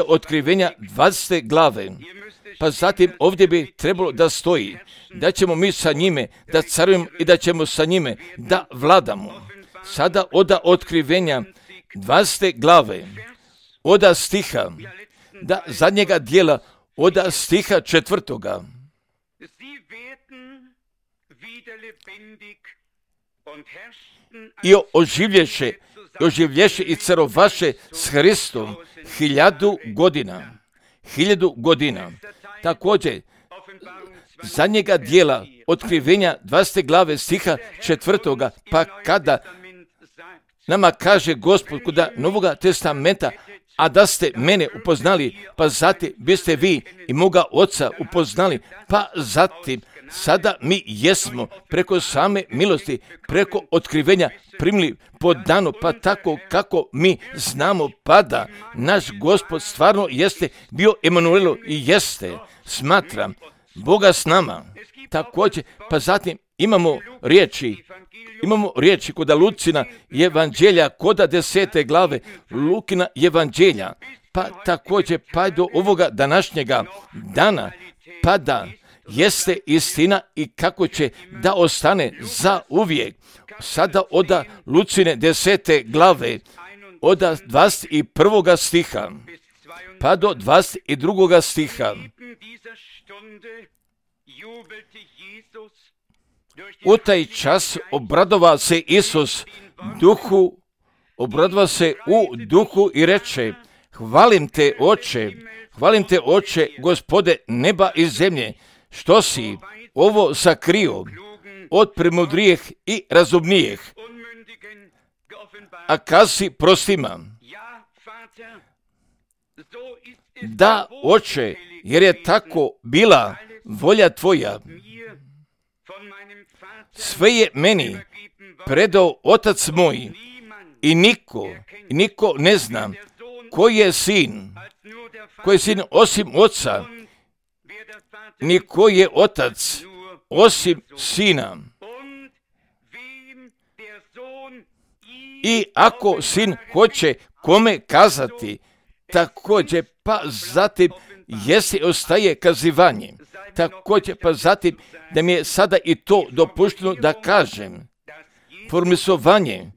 otkrivenja 20. glave, pa zatim ovdje bi trebalo da stoji da ćemo mi sa njime da carujemo i da ćemo sa njime da vladamo. Sada od otkrivenja 20. glave, od stiha da zadnjega dijela od stiha 4. I oživlješe i carovaše s Hristom 1000 godina. Također, zadnjega dijela otkrivenja 20. glave stiha 4. Pa kada nama kaže Gospod kod Novoga testamenta, a da ste mene upoznali, pa zatim biste vi i moga Oca upoznali, pa zatim sada mi jesmo preko same milosti, preko otkrivenja primili po danu, pa tako kako mi znamo, pa da naš Gospod stvarno jeste bio Emanuelo i jeste, smatram, Boga s nama. Također, pa zatim imamo riječi kod Lucina evanđelja, kod 10. glave Lukina evanđelja, pa također pa do ovoga današnjega dana, pa da jeste istina i kako će da ostane za uvijek. Sada od Lucine 10. glave, od 21. stiha, pa do 22. stiha. U taj čas obradova se Isus u duhu i reče, hvalim te oče, Gospode neba i zemlje, što si ovo sakrio od premudrijih i razumnijih, a kazi prostima. Da, oče, jer je tako bila volja tvoja. sve je meni predao Otac moj i niko ne zna koji je sin osim Oca, ni koji je Otac osim Sina. I ako Sin hoće kome kazati, također pa zatim jesi ostaje kazivanje. Također pa zatim da mi je sada i to dopušteno da kažem. Formisovanje,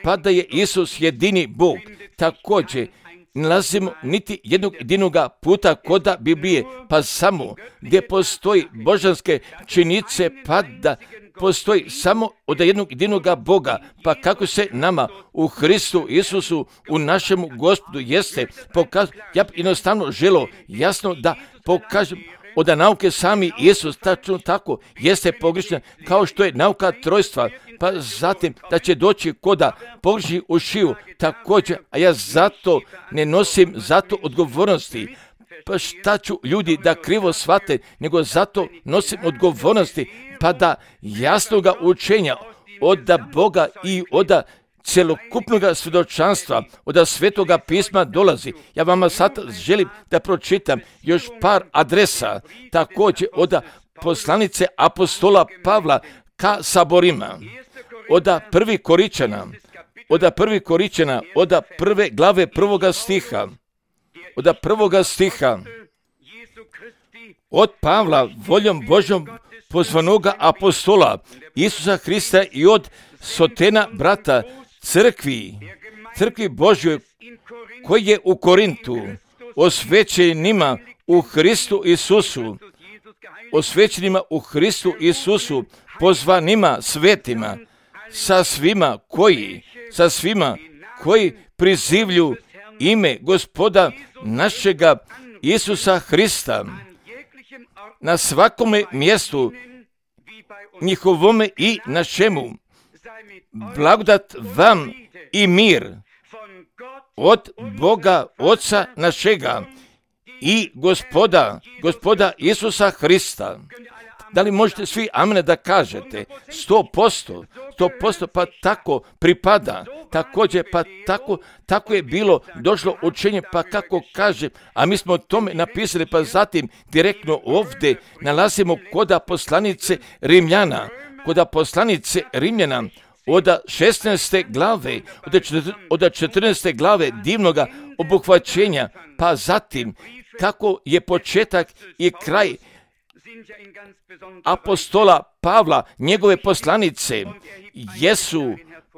pa da je Isus jedini Bog, također nalazimo niti jednog jedinoga puta koda Biblije, pa samo gdje postoji božanske činjenice, pa da postoji samo od jednog jedinoga Boga, pa kako se nama u Hristu Isusu, u našemu Gospodu jeste pokazano. Ja bi jednostavno želio jasno da pokažem od nauke sami Isus, tačno tako jeste pogrešna, kao što je nauka trojstva, pa zatim da će doći koda pogrešni u šiju, također, a ja zato ne nosim zato odgovornosti. Pa šta ću ljudi da krivo shvate, nego zato nosim odgovornosti, pa da jasnoga učenja od Boga i od celokupnog svjedočanstva, od Svetoga pisma dolazi. Ja vama sad želim da pročitam još par adresa, također od poslanice apostola Pavla ka saborima, od prvi Koričana, od prve glave prvoga stiha, od Pavla, voljom Božjom pozvanoga apostola Isusa Hrista i od Sotena brata crkvi Božjoj koji je u Korintu, osvećenima u Hristu Isusu, pozvanima svetima, sa svima koji prizivlju ime Gospoda našega Isusa Hrista na svakome mjestu njihovome i našemu. Blagodat vam i mir od Boga Oca našega i Gospoda Isusa Hrista. Da li možete svi amen da kažete? 100%, pa tako pripada. Također, pa tako je bilo došlo učenje, pa kako kaže, a mi smo o tome napisali, pa zatim direktno ovdje nalazimo koda poslanice Rimljana, od 16. glave, od 14. glave divnoga obuhvaćenja, pa zatim kako je početak i kraj apostola Pavla, njegove poslanice jesu,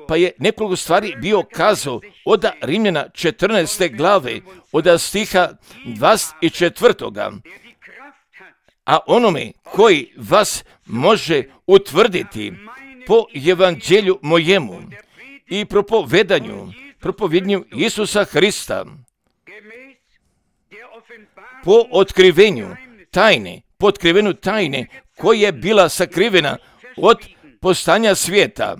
pa je nekoliko stvari bio kazao od Rimljana 14. glave, od stiha 24. A onome koji vas može utvrditi po evanđelju mojemu i propovijednju Isusa Hrista, po otkrivenu tajne koja je bila sakrivena od postanja svijeta,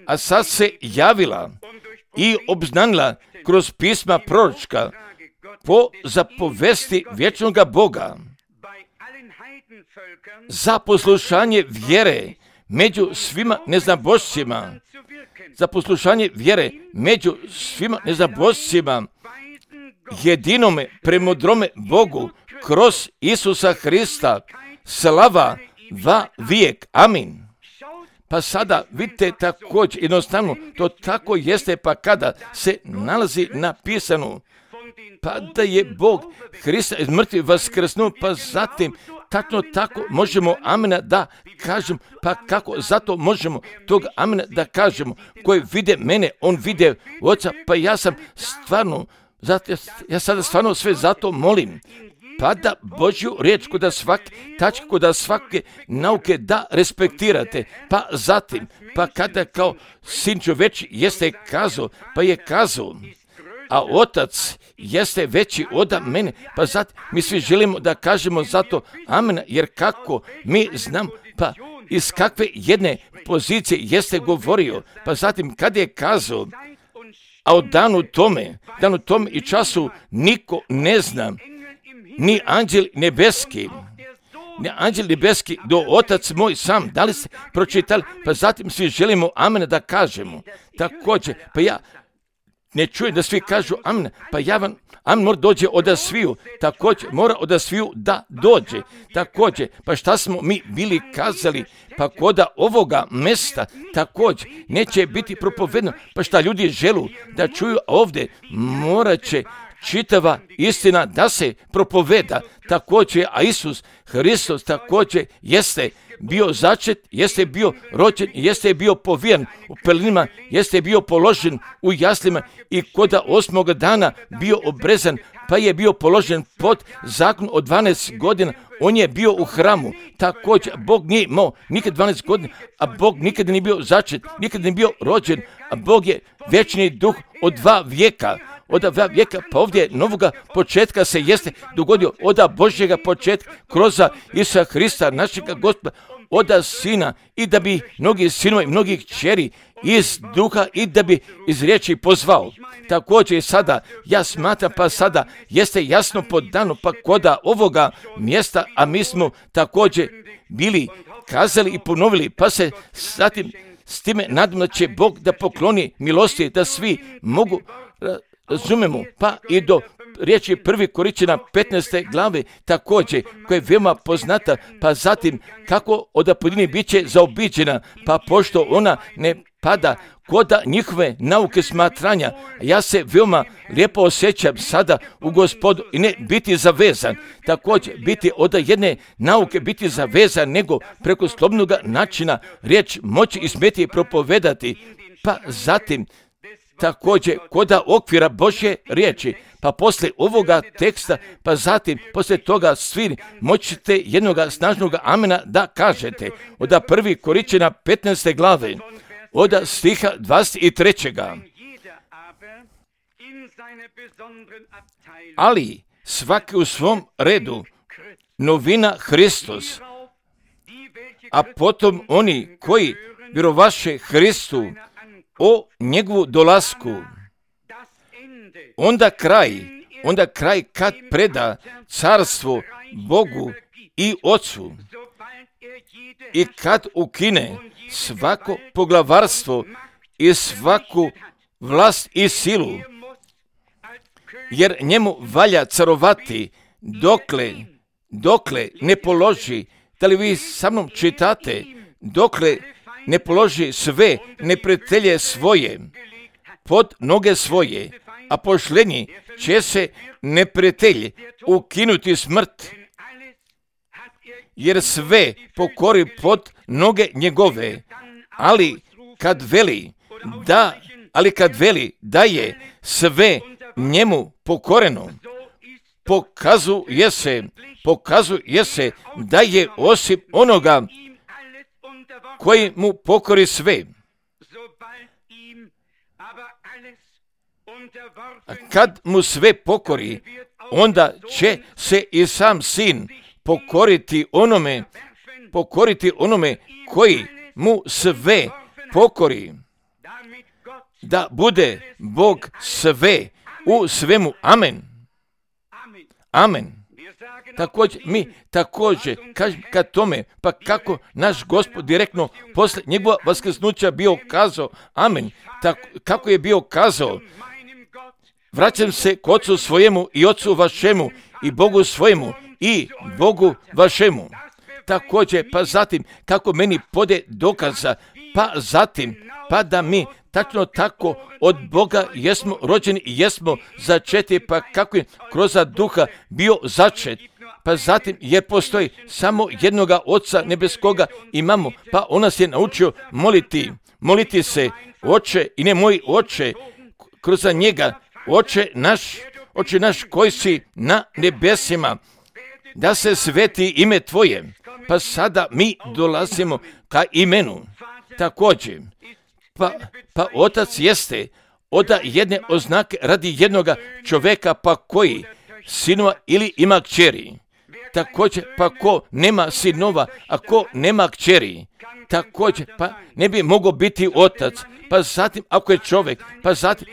a sad se javila i obznanila kroz pisma proročka po zapovesti vječnoga Boga za poslušanje vjere među svima neznabošcima, jedinome premudrome Bogu kroz Isusa Hrista, slava va vijek. Amin. Pa sada vidite također, jednostavno to tako jeste, pa kada se nalazi napisano, pa da je Bog Hrista iz mrtvih vaskrsnuo, pa zatim tačno tako možemo amena da kažemo, pa kako zato možemo tog amena da kažemo, koji vide mene, on vide Oca, pa ja sada stvarno sve zato molim, pa da Božju riječ kod svake nauke da respektirate, pa zatim, pa kada kao sin čovječi jeste kazao, pa je kazao, a Otac jeste veći od mene, pa zatim mi svi želimo da kažemo zato amen, jer kako mi znam, pa iz kakve jedne pozicije jeste govorio, pa zatim kad je kazao, a o danu tome i času niko ne zna, ni anđel nebeski, anđel nebeski, do Otac moj sam. Da li ste pročitali? Pa zatim svi želimo amen da kažemo. Također, pa ja ne čujem da svi kažu amen, pa ja vam, amen mora dođe od sviju, također mora od sviju da dođe, također, pa šta smo mi bili kazali, pa koda ovoga mesta, također, neće biti propovedno, pa šta ljudi želu da čuju ovdje, morat će čitava istina da se propoveda, također, a Isus Hristos također jeste bio začet, jeste bio rođen, jeste bio povijen u pelinima, jeste bio položen u jaslima i koda 8. dana bio obrezan, pa je bio položen pod zakon od 12 godina, on je bio u hramu, također Bog nije imao nikad 12 godina, a Bog nikad nije bio začet, nikad nije bio rođen, a Bog je vječni duh od 2 vijeka, od 2 vijeka, pa ovdje novoga početka se jeste dogodio od Božjega početka kroz Isusa Hrista, našega Gospoda, od Sina, i da bi mnogi sinova i mnogih kćeri iz duha i da bi iz riječi pozvao. Također sada, ja smatram, pa sada jeste jasno podano, pa koda ovoga mjesta, a mi smo također bili kazali i ponovili, pa se zatim s time nadam da će Bog da pokloni milosti, da svi mogu razumemo, pa i do riječi 1. Korinćana 15. glave također, koja je veoma poznata, pa zatim kako od pojedini bit će zaobiđena, pa pošto ona ne pada koda njihove nauke smatranja, ja se veoma lijepo osjećam sada u Gospodu i ne biti zavezan, također biti od jedne nauke biti zavezan, nego preko slobodnog načina riječ moći i smjeti propovedati, pa zatim također koda okvira Božje riječi, pa poslije ovoga teksta, pa zatim poslije toga svi moćete jednog snažnog amena da kažete. Od 1. Korinćana 15. glave, od stiha 23. Ali svaki u svom redu, novina Hristos, a potom oni koji vjerovaše Hristu o njegovu dolasku, onda kraj kad preda carstvo Bogu i Otcu i kad ukine svako poglavarstvo i svaku vlast i silu, jer njemu valja carovati dokle ne položi, da li vi sa mnom čitate, dokle ne položi sve neprijatelje svoje pod noge svoje, a pošlenji će se neprijatelj ukinuti smrt, jer sve pokori pod noge njegove, ali kad veli da je sve njemu pokoreno, pokazuje se da je osim onoga koji mu pokori sve. A kad mu sve pokori, onda će se i sam sin pokoriti onome koji mu sve pokori, da bude Bog sve u svemu. Amen. Amen. Također, mi također kažem kad tome, pa kako naš Gospod direktno posle njegova vaskrsnuća bio kazao, amen, kako je bio kazao, vraćam se k Otcu svojemu i Otcu vašemu i Bogu svojemu i Bogu vašemu. Također, pa zatim, kako meni pode dokaza, pa zatim, pa da mi tačno tako od Boga jesmo rođeni i jesmo začeti, pa kako je kroz duha bio začet, pa zatim jer postoji samo jednoga Oca nebeskoga imamo, pa on nas je naučio moliti se, Oče i ne moj Oče, kroz njega, Oče naš koji si na nebesima, da se sveti ime Tvoje, pa sada mi dolazimo ka imenu. Također, pa Otac jeste od jedne oznake radi jednoga čovjeka, pa koji sinova ili ima kćeri. Također, pa ko nema sinova, a ko nema kćeri, također, pa ne bi mogao biti otac. Pa zatim, ako je čovjek, pa zatim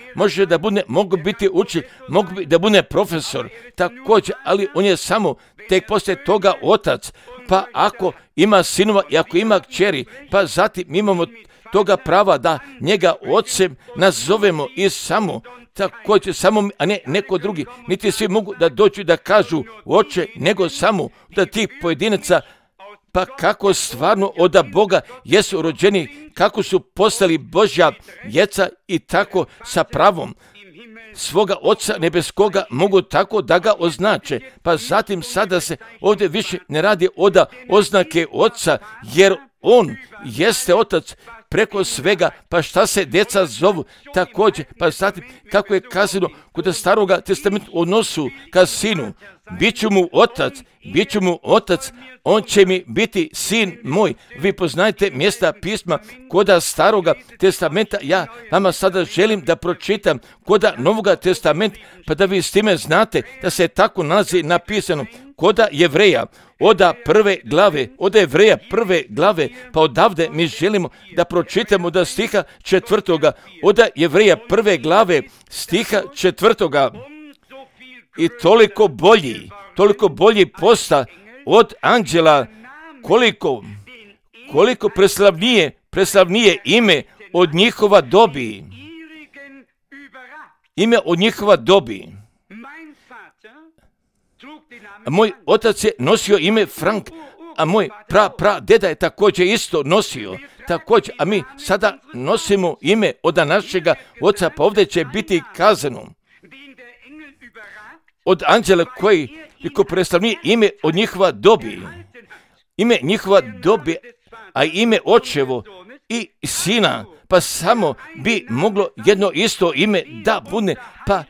mogu biti učitelj, mogu da bude profesor, također, ali on je samo tek poslije toga otac, pa ako ima sinova i ako ima kćeri, pa zatim imamo toga prava da njega ocem nazovemo i samo, također samo, a ne neko drugi, niti svi mogu da dođu da kažu oče, nego samo da tih pojedinaca, pa kako stvarno od Boga jesu rođeni, kako su postali Božja djeca i tako sa pravom svoga Oca nebeskoga mogu tako da ga označe. Pa zatim sada se ovdje više ne radi od oznake Oca, jer on jeste Otac preko svega, pa šta se djeca zovu također. Pa zatim kako je kazano kod Staroga testamenta u odnosu ka sinu, bit ću mu otac, on će mi biti sin moj. Vi poznajete mjesta pisma koda Staroga testamenta, ja vama sada želim da pročitam koda Novoga testamenta, pa da vi s time znate da se tako nalazi napisano koda Jevreja, oda Jevreja prve glave, pa odavde mi želimo da pročitamo da stiha 4. Oda Jevreja prve glave, stiha 4. I toliko bolji posta od anđela, koliko preslavnije ime od njihova dobi. Ime od njihova dobi. Moj otac je nosio ime Frank, a moj deda je također isto nosio. Također, a mi sada nosimo ime od našega oca, pa ovdje će biti kazano od anđela koji preslavnije ime od njihova dobi. Ime njihova dobi, a ime očevo i sina, pa samo bi moglo jedno isto ime da bude, pa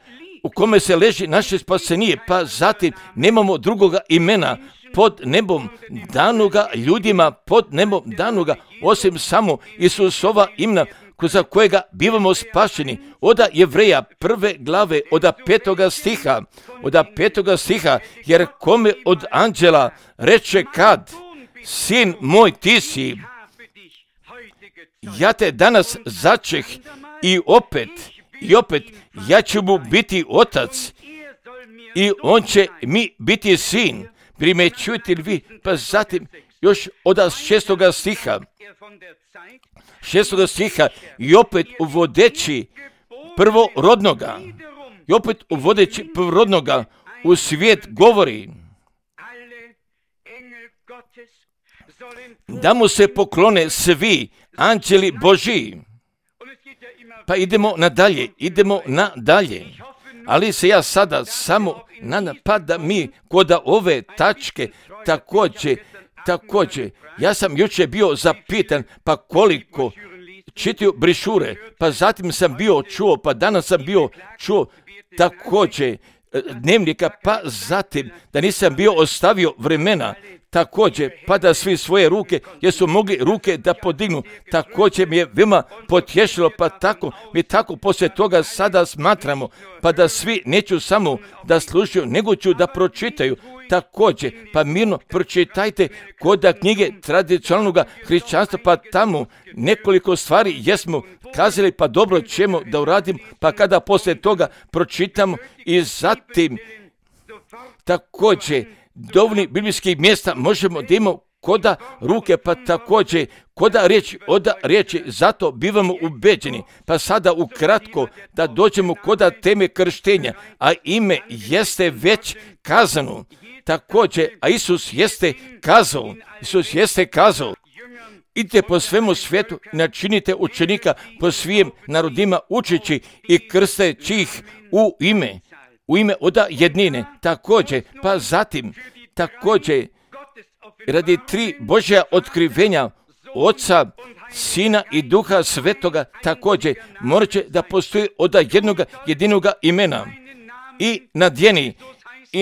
u kome se leži naše spasenije, pa zatim nemamo drugoga imena pod nebom danoga ljudima, pod nebom danoga, osim samo Isusova imena, za kojega bivamo spašeni. Oda Jevreja prve glave, oda 5. stiha, jer kome od anđela reče kad, sin moj ti si, ja te danas začeh i opet ja ću mu biti otac i on će mi biti sin. Primećujete li vi? Pa zatim još od 6. stiha i opet uvodeći prvorodnoga u svijet govori da mu se poklone svi anđeli Božji. Pa idemo nadalje. Ali se ja sada samo nadam pa da mi kod ove tačke također, ja sam jučer bio zapitan pa koliko čitaju brišure, pa zatim sam bio čuo, pa danas sam bio čuo također dnevnika, pa zatim da nisam bio ostavio vremena također, pa da svi svoje ruke, jesu mogli ruke da podignu, također mi je veoma potješilo, pa tako poslije toga sada smatramo, pa da svi neću samo da slušaju, nego ću da pročitaju, također, pa mirno pročitajte kod knjige tradicionalnog hrišćanstva, pa tamo nekoliko stvari jesmo kazali, pa dobro ćemo da uradimo, pa kada poslije toga pročitamo i zatim također dovoljni biblijskih mjesta možemo da imamo koda ruke, pa također koda riječi, zato bivamo ubeđeni. Pa sada ukratko da dođemo koda teme krštenja, a ime jeste već kazano. Također, a Isus jeste kazao, idite po svemu svijetu, načinite učenika po svim narodima, učeći i krsteći ih u ime oda jednine. Također, pa zatim, također, radi 3 Božja otkrivenja Oca, Sina i Duha Svetoga, također, morat će da postoji oda jedinoga imena. I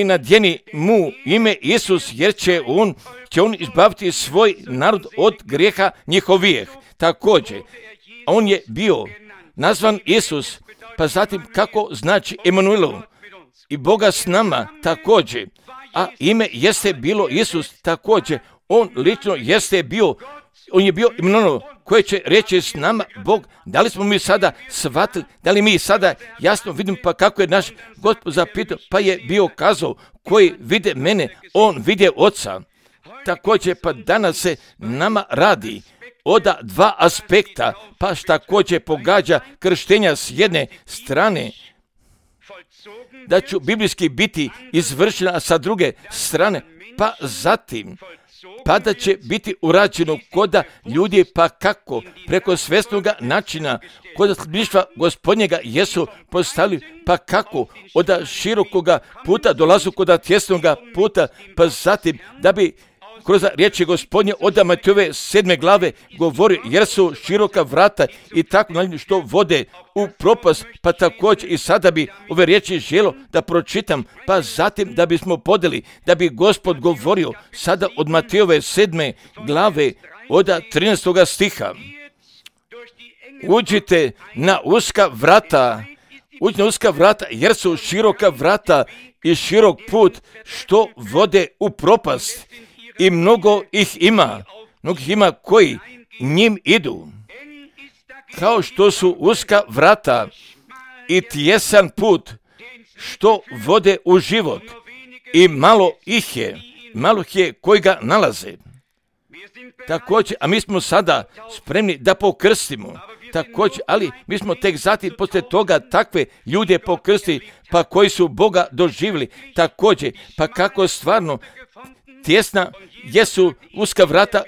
nadjeni mu ime Isus, jer će on izbaviti svoj narod od grijeha njihovijeh. Također, on je bio nazvan Isus, pa zatim kako znači Emanuelu, i Boga s nama također, a ime jeste bilo Isus također, on lično jeste bio On je bio imenovan koje će reći s nama Bog. Da li smo mi sada shvatili, da li mi sada jasno vidimo, pa kako je naš Gospod zapitao, pa je bio kazao, koji vide mene, on vide Oca. Također, pa danas se nama radi od dva aspekta, pa također pogađa krštenja s jedne strane, da ću biblijski biti izvršena, a sa druge strane, pa zatim, pa da će biti urađeno koda ljudi, pa kako, preko svjesnoga načina, koda sljedništva Gospodnjega jesu postavili, pa kako, od širokoga puta dolazu koda tjesnoga puta, pa zatim, da bi kroz riječi Gospodnje od Matejove 7. glave govori, jer su široka vrata i tako što vode u propast, pa također i sada bi ove riječi želo da pročitam, pa zatim da bismo podeli, da bi Gospod govorio sada od Matejove 7. glave od 13. stiha. Uđite na uska vrata, jer su široka vrata i širok put što vode u propast. I mnogo ih ima koji njim idu. Kao što su uska vrata i tjesan put što vode u život. I malo ih je koji ga nalaze. Također, a mi smo sada spremni da pokrstimo. Također, ali mi smo tek zatim poslije toga takve ljude pokrstili, pa koji su Boga doživjeli. Također, pa kako stvarno tjesna jesu uska vrata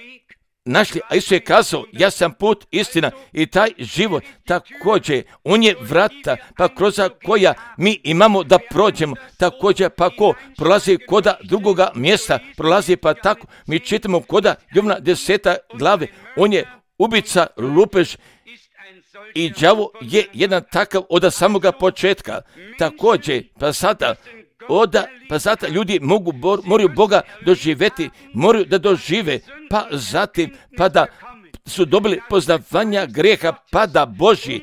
našli, a Isus je kazao, ja sam put, istina i taj život. Također, on je vrata, pa kroz koja mi imamo da prođemo. Također, pa ko prolazi koda drugoga mjesta, prolazi pa tako. Mi čitamo koda Jovana 10. glave, on je ubica, lupež i đavo je jedan takav od samoga početka. Također, pa sada ljudi moraju Boga doživjeti, moraju da dožive, pa zatim, pa da su dobili poznavanja grijeha, pa da Božji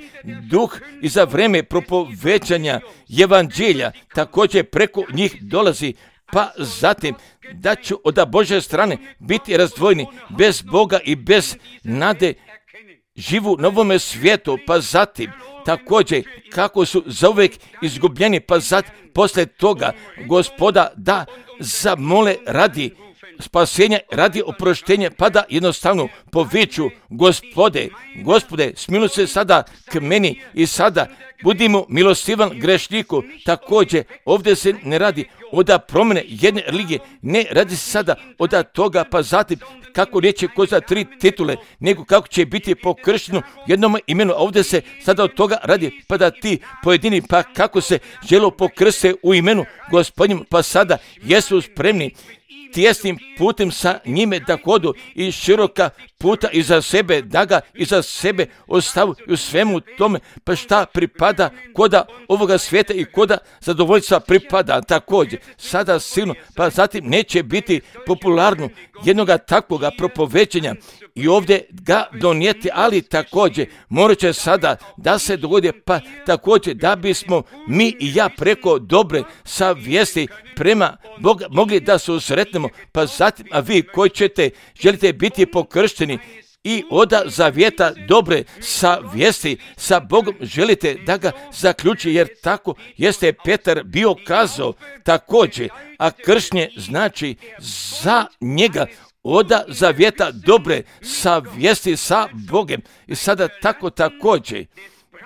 duh i za vrijeme propovećanja evanđelja također preko njih dolazi, pa zatim da ću od Božje strane biti razdvojeni bez Boga i bez nade, živu na ovome svijetu, pa zatim također kako su zauvijek izgubljeni, pa zatim poslije toga Gospoda da zamole radi spasenja, radi oproštenja, pa da jednostavno poviču, Gospode, smiluj se sada k meni i sada budimo milostivan grešniku. Također, ovdje se ne radi od promjene jedne religije, ne radi se sada od toga, pa zatim kako riječi ko za 3 titule, nego kako će biti pokršteno jednom imenu. Ovdje se sada od toga radi, pa da ti pojedini, pa kako se želo pokrste u imenu Gospodnjem, pa sada jesu spremni tijesnim putem sa njime da hodu i široka puta iza sebe, da ga iza sebe ostavu u svemu tome, pa šta pripada koda ovoga svijeta i koda zadovoljstva pripada također. Sada silno, pa zatim neće biti popularno jednoga takvoga propovećenja i ovdje ga donijeti, ali također morat će sada da se dogodi, pa također da bismo mi i ja preko dobre savjesti prema Boga mogli da se usretnemo, pa zatim, a vi koji želite biti pokršteni i od zavjeta dobre savjesti sa Bogom želite da ga zaključi, jer tako jeste Petar bio kazao također, a kršnje znači za njega od zavjeta dobre savjesti sa Bogom. I sada tako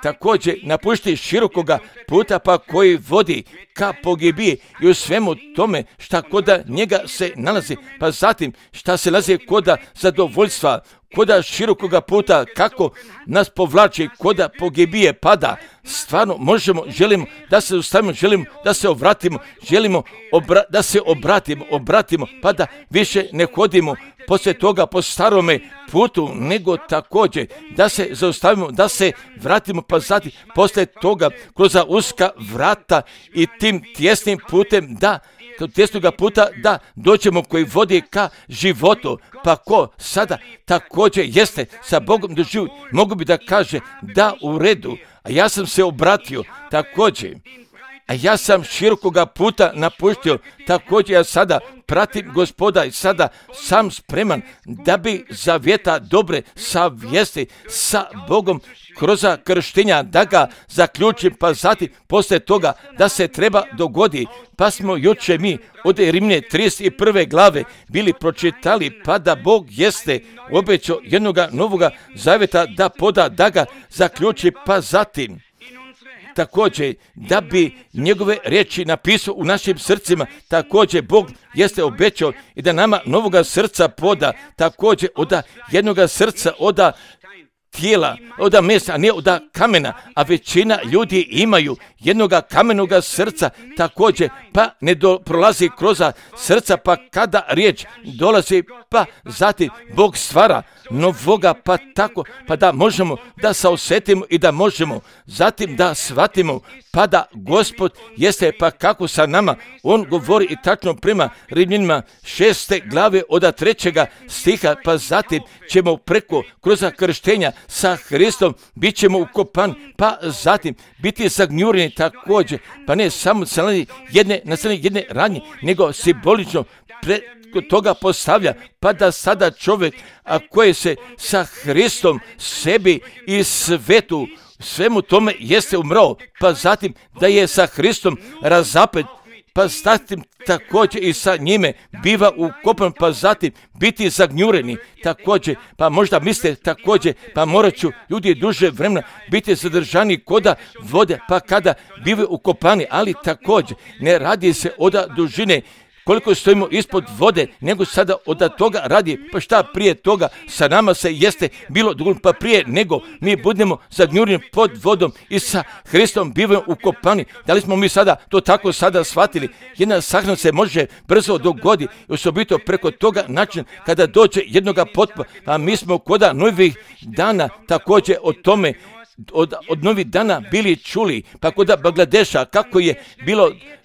također napušti širokoga puta, pa koji vodi ka pogibiji i u svemu tome šta koda njega se nalazi, pa zatim šta se nalazi koda zadovoljstva, koda širokoga puta, kako nas povlači koda pogibije, pada. Stvarno želimo da se ustavimo, želimo da se obratimo, želimo da se obratimo, pa da više ne hodimo poslije toga po starome putu, nego također da se zaustavimo, da se vratimo, pa zatim poslije toga kroz uska vrata i tim tjesnim putem tjesnoga puta da dođemo koji vodi ka životu. Pa ko sada također jeste sa Bogom doživio, mogu bi da kaže da u redu, a ja sam se obratio također a ja sam širokoga puta napustio, također ja sada pratim Gospoda i sada sam spreman da bi zavjeta dobre savjesti sa Bogom kroz krštenja da ga zaključim, pa zatim poslije toga da se treba dogodi. Pa smo juče mi od Rimlje 31. glave bili pročitali, pa da Bog jeste obećao jednoga novoga zavjeta da poda, da ga zaključi, pa zatim također da bi njegove riječi napisao u našim srcima. Također Bog jeste obećao i da nama novoga srca poda, također od jednoga srca, od tijela, od mesa, a ne od kamena, a većina ljudi imaju jednoga kamenoga srca također, pa ne prolazi kroz srca, pa kada riječ dolazi, pa zatim Bog stvara novoga, pa tako, pa da možemo da se osjetimo i da možemo zatim da shvatimo, pa da Gospod jeste, pa kako sa nama, on govori i tačno prema Rimljanima 6. glave od 3. stiha, pa zatim ćemo preko kroz krštenja sa Hristom bit ćemo ukopani, pa zatim biti zagnjureni također, pa ne samo na jedne radnje, nego simbolično preko toga postavlja, pa da sada čovjek, a koji se sa Hristom sebi i svetu, svemu tome jeste umrao, pa zatim da je sa Hristom razapet, pa zatim također i sa njime biva ukopan, pa zatim biti zagnjureni također, pa možda misle također, pa morat ću ljudi duže vremena biti zadržani koda vode, pa kada bivaju ukopani, ali također ne radi se od dužine koliko stojimo ispod vode, nego sada od toga radi, pa šta prije toga sa nama se jeste bilo dovoljno, pa prije nego mi budemo zagnjureni pod vodom i sa Hristom bivamo ukopani. Da li smo mi sada to tako sada shvatili? Jedna sahrana se može brzo dogodi, osobito preko toga načina kada dođe jednoga potpa, a mi smo koda novih dana također o tome od novih dana bili čuli, pa kod Bangladeša kako je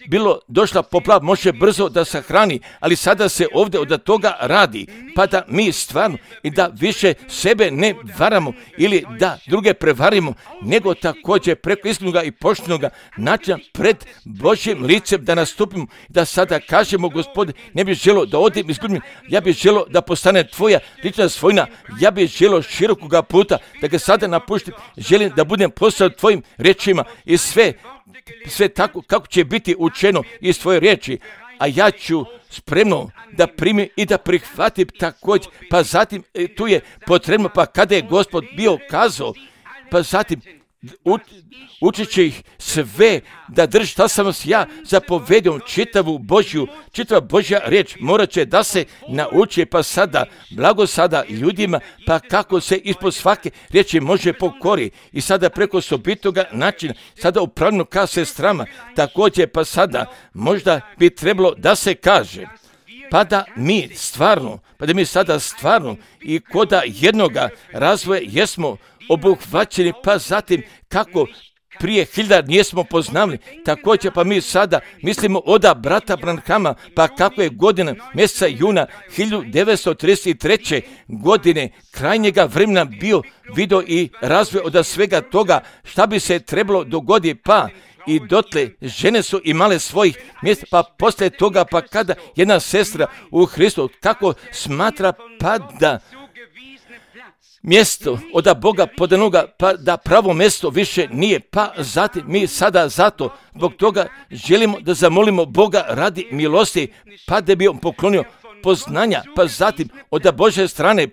bilo došla poplava, može brzo da sahrani, ali sada se ovdje od toga radi, pa da mi stvarno i da više sebe ne varamo ili da druge prevarimo, nego također preko iskrenoga i poštenoga načina pred Božjim licem da nastupimo, da sada kažemo, Gospode, ne bih želio da odim izgubim, ja bih želio da postane tvoja lična svojina, ja bih želio širokoga puta da ga sada napuštim, želim da budem poslan tvojim riječima i sve tako kako će biti učeno iz tvoje riječi, a ja ću spremno da primim i da prihvatim također, pa zatim tu je potrebno, pa kada je Gospod bio kazao, pa zatim učit će ih sve da drži šta sam vas ja zapovedio, čitava Božja riječ morat će da se nauči, pa sada, blago sada ljudima, pa kako se ispod svake riječi može pokori i sada preko sobitoga načina, sada upravljeno ka sestrama, također pa sada možda bi trebalo da se kaže, pa da mi sada stvarno i koda jednoga razvoja jesmo obuhvaćeni, pa zatim kako prije 1000 nismo poznali, također pa mi sada mislimo od brata Branhama, pa kako je godina mjeseca juna 1933. godine krajnjega vremena bio video i razvoj od svega toga šta bi se trebalo dogoditi, pa i dotle žene su imale svojih mjesta, pa poslije toga, pa kada jedna sestra u Hristu kako smatra, pa da mjesto od Boga podanoga, pa da pravo mjesto više nije, pa zatim mi sada zato zbog toga želimo da zamolimo Boga radi milosti, pa da bi on poklonio poznanja, pa zatim od Božje strane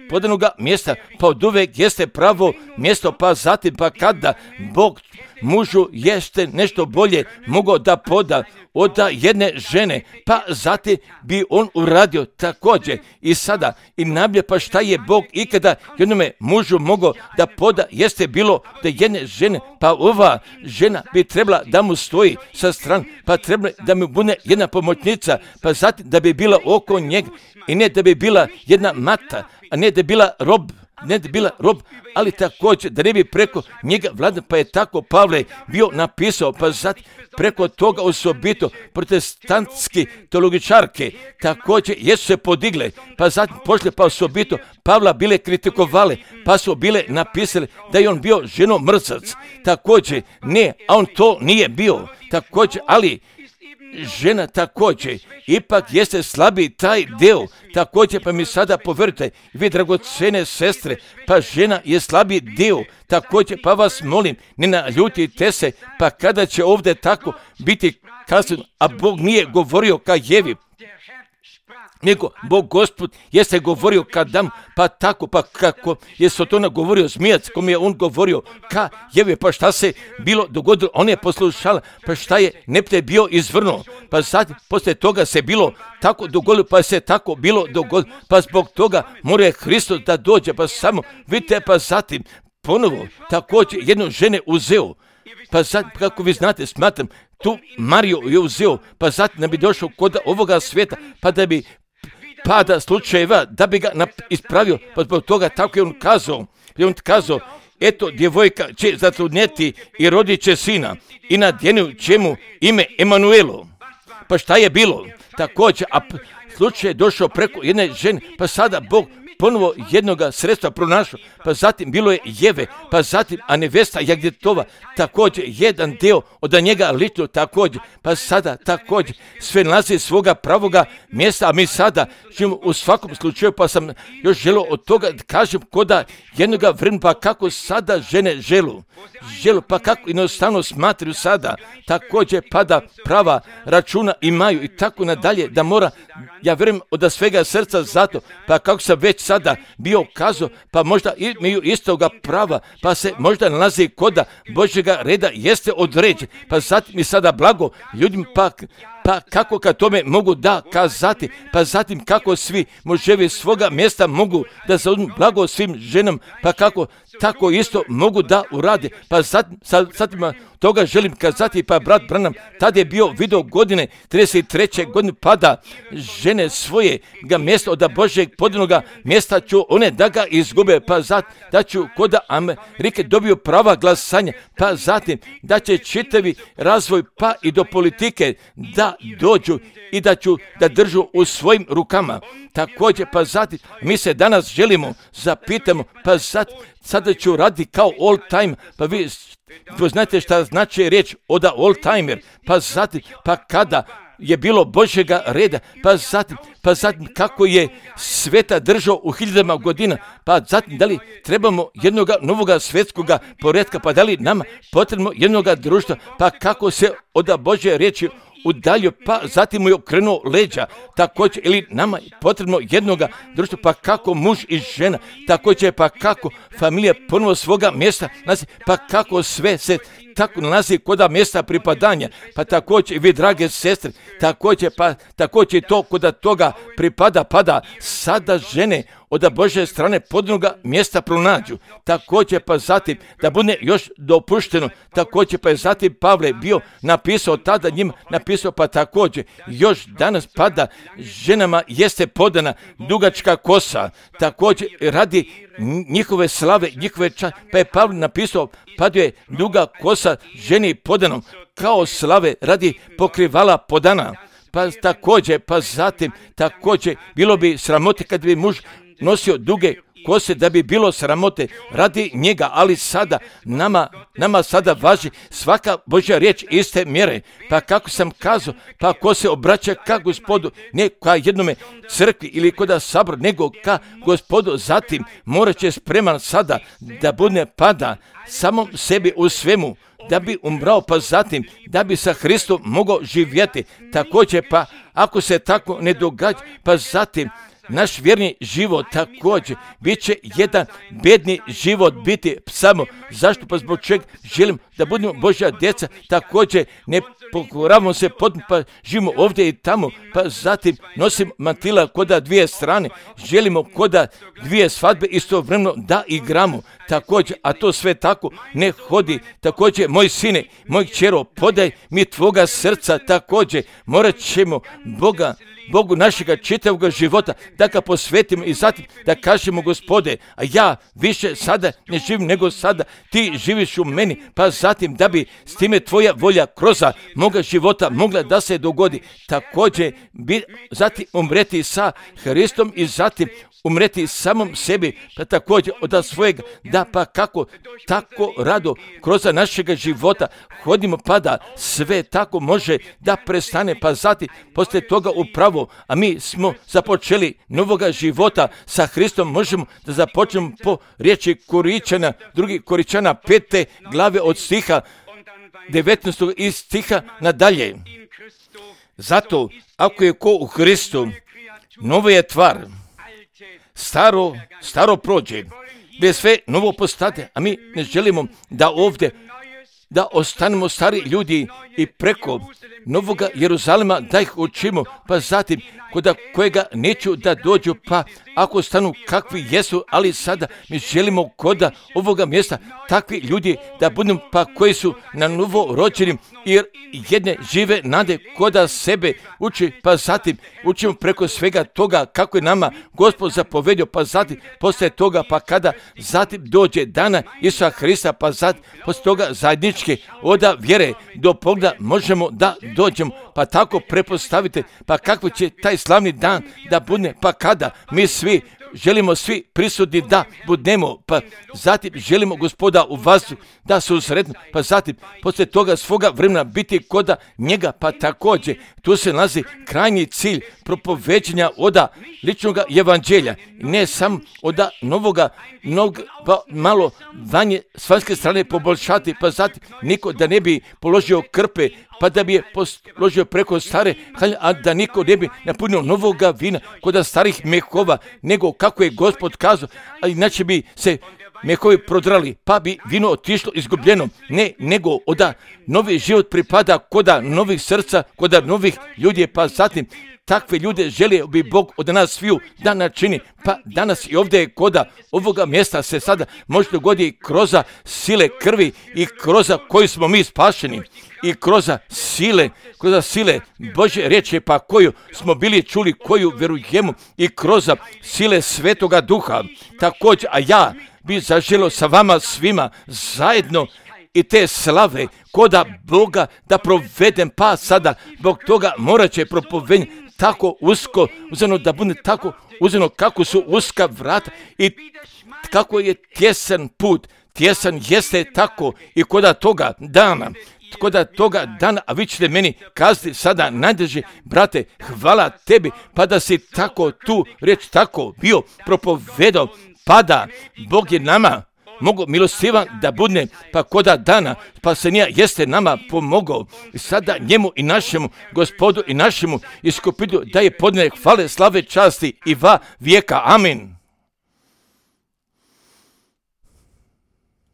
podanoga mjesta, pa od uvek jeste pravo mjesto, pa zatim pa kada Bog mužu jeste nešto bolje mogao da poda od jedne žene, pa zatim bi on uradio također i sada i nablje, pa šta je Bog ikada jednome mužu mogao da poda jeste bilo da jedne žene, pa ova žena bi trebala da mu stoji sa strane, pa treba da mu bude jedna pomoćnica, pa zatim da bi bila oko njega i ne da bi bila jedna mata, a ne da bi bila rob, ne bila rob, ali također da ne bi preko njega vlada, pa je tako Pavle bio napisao, pa zatim preko toga osobito protestantski teologičarke također jesu se podigle, pa zatim pošle pa osobito Pavla bile kritikovale, pa su bile napisali da je on bio ženomrzac, također ne, a on to nije bio, također, ali žena također, ipak jeste slabiji taj deo, također pa mi sada povjerujte, vi dragocene sestre, pa žena je slabiji deo, također pa vas molim, ne naljutite se, pa kada će ovdje tako biti kazano, a Bog nije govorio ka Jevi, nego Bog Gospod jeste govorio ka Adamu, pa tako, pa kako je Sotona govorio zmijac, kom je on govorio ka Jevi, pa šta se bilo dogodilo, on je poslušala, pa šta je nepte bio izvrnuo, pa sad poslije toga se bilo tako dogodilo, pa se tako bilo dogodilo, pa zbog toga mora Hristos da dođe, pa samo vidite, pa zatim ponovo također jednu žene uzeo, pa sad, kako vi znate, smatram, tu Mariju je uzeo, pa zatim da bi došao kod ovoga svijeta, pa da bi pada slučajeva, da bi ga ispravio, pa zbog toga tako je on kazao, eto, djevojka će zatrudnjeti i rodit će sina i nadjenut će mu ime Emanuelo. Pa šta je bilo? Također, a slučaj je došao preko jedne žene, pa sada Bog ponovo jednoga sredstva pronašao, pa zatim bilo je Jeve, pa zatim a nevesta Jagdetova, također jedan deo od njega lično također, pa sada također sve nalazi svoga pravoga mjesta, a mi sada živimo u svakom slučaju, pa sam još želio od toga da kažem koda jednoga vremena, pa kako sada žene želu, pa kako jednostavno smatraju sada, također pa da prava računa imaju i tako nadalje, da mora, ja vjerujem od svega srca zato, pa kako sam već sada bio kazao, pa možda imaju istoga prava, pa se možda nalazi koda Božjega reda jeste određen, pa zatim mi sada blago ljudima, pa kako kad tome mogu da kazati, pa zatim kako svi muževi svoga mjesta mogu da zauzmu blago svim ženama, pa kako tako isto mogu da urade, pa zatim toga želim kazati, pa brat Branham tad je bio video godine 33. godine, pa da žene svoje ga mjesta od Božjeg podanoga mjesta ću one da ga izgube, pa zatim da ću kod Amerike dobio prava glasanja, pa zatim da će čitavi razvoj pa i do politike da dođu i da ću da držu u svojim rukama. Također, pa zatim mi se danas želimo zapitamo, pa zatim sada ću raditi kao old time, pa vi znate šta znači riječ od old timer, pa zatim, pa kada je bilo Božjega reda, pa zatim kako je sveta držao u hiljadama godina, pa zatim da li trebamo jednoga novoga svjetskoga poretka, pa da li nama potrebno jednoga društva, pa kako se od Božje riječi udaljio, pa zatim mu je okrenuo leđa, također ili nama je potrebno jednoga društva, pa kako muž i žena, također pa kako familija ponovo svoga mjesta, pa kako sve se tako nalazi kod mjesta pripadanja, pa također i vi drage sestre, također to kod toga pripada, pa da sada žene od Božje strane podnoga mjesta pronađu, također pa zatim da bude još dopušteno, također pa je zatim Pavle bio napisao tada njima, napisao pa također još danas pada ženama jeste podana dugačka kosa, također radi njihove slave, njihove pa je Pavle napisao paduje je duga kosa ženi podanom kao slave radi pokrivala podana. Pa također, pa zatim također bilo bi sramote kad bi muž nosio duge kose, da bi bilo sramote radi njega, ali sada nama sada važi svaka Božja riječ iste mjere, pa kako sam kazao, pa ko se obraća ka Gospodu, ne ka jednome crkvi ili kod sabora, nego ka Gospodu, zatim morat će spreman sada da bude pada samom sebi u svemu, da bi umrao, pa zatim da bi sa Hristom mogao živjeti. Također, pa ako se tako ne događa, pa zatim naš vjerni život također bit će jedan bedni život biti samo. Zašto? Pa zbog čega želim da budemo Božja djeca, također ne pokoravamo se potpuno, pa živimo ovdje i tamo, pa zatim nosim mantila koda dvije strane, želimo koda dvije svadbe istovremeno da igramo, također, a to sve tako ne hodi. Također, moj sine, moj kćero, podaj mi tvoga srca, također, morat ćemo Bogu našega čitavog života da ga posvetimo i zatim da kažemo, Gospode, a ja više sada ne živim nego sada, ti živiš u meni, pa zatim da bi s time tvoja volja kroz moga života mogla da se dogodi. Također, zatim umreti sa Hristom i zatim umreti samom sebi, pa također od svojeg, da pa kako tako rado kroz našega života hodimo, pa da sve tako može da prestane, pa zatim poslije toga upravo, a mi smo započeli novoga života sa Hristom, možemo da započnemo po riječi Koričana, 2. Koričana 5. glave od stiha 19. i stiha nadalje. Zato, ako je ko u Hristu, novo je tvar, staro prođe, gdje sve novo postade, a mi ne želimo da ovdje da ostanemo stari ljudi i preko Novoga Jeruzalema da ih učimo, pa zatim kod kojega neću da dođu, pa ako stanu kakvi jesu, ali sada mi želimo kod ovoga mjesta takvi ljudi da budemo, pa koji su na novo rođenim, jer jedne žive nade koda sebe uči, pa zatim učimo preko svega toga kako je nama Gospod zapovedio, pa zatim poslije toga, pa kada zatim dođe dana Isusa Hrista, pa zatim poslije toga zajedničke oda vjere do pogleda možemo da dođemo, pa tako prepostavite, pa kako će taj slavni dan da bude, pa kada mi želimo svi prisutni da budemo, pa zatim želimo Gospoda u vazduhu da se usretnu, pa zatim poslije toga svoga vremena biti koda njega, pa također tu se nalazi krajnji cilj propoveđenja oda ličnog evanđelja, ne samo oda novoga, pa malo vanje s vanjske strane poboljšati, pa zatim niko da ne bi položio krpe, pa da bi je položio preko stare halje, a da niko ne bi napunio novoga vina kod starih mehova, nego kako je Gospod kazao, a inače bi se mehovi prodrali, pa bi vino otišlo izgubljeno, ne, nego oda novi život pripada koda novih srca, koda novih ljudi, pa zatim takve ljude želio bi Bog od nas sviju da načini, pa danas i ovdje je koda ovoga mjesta se sada može dogoditi kroz sile krvi i kroz koju smo mi spašeni i kroz sile Božje riječi, pa koju smo bili čuli, koju vjerujemo i kroz sile Svetoga Duha. Također, a ja bi zaželio sa vama svima zajedno i te slave koda Boga da provedem, pa sada zbog toga morat će propovediti tako usko, uzeno da bude tako uzeno kako su uska vrata i kako je tjesan put, tjesan jeste tako i koda toga dana, a vi ćete meni kazati sada najdrži, brate, hvala tebi, pa da si tako tu riječ tako bio propovedao, pa da Bog je nama mogu milostivan da budne, pa koda dana spasenja jeste nama pomogao. I sada njemu i našemu Gospodu i našemu iskupitelju da je podne hvale, slave, časti i va vijeka. Amin.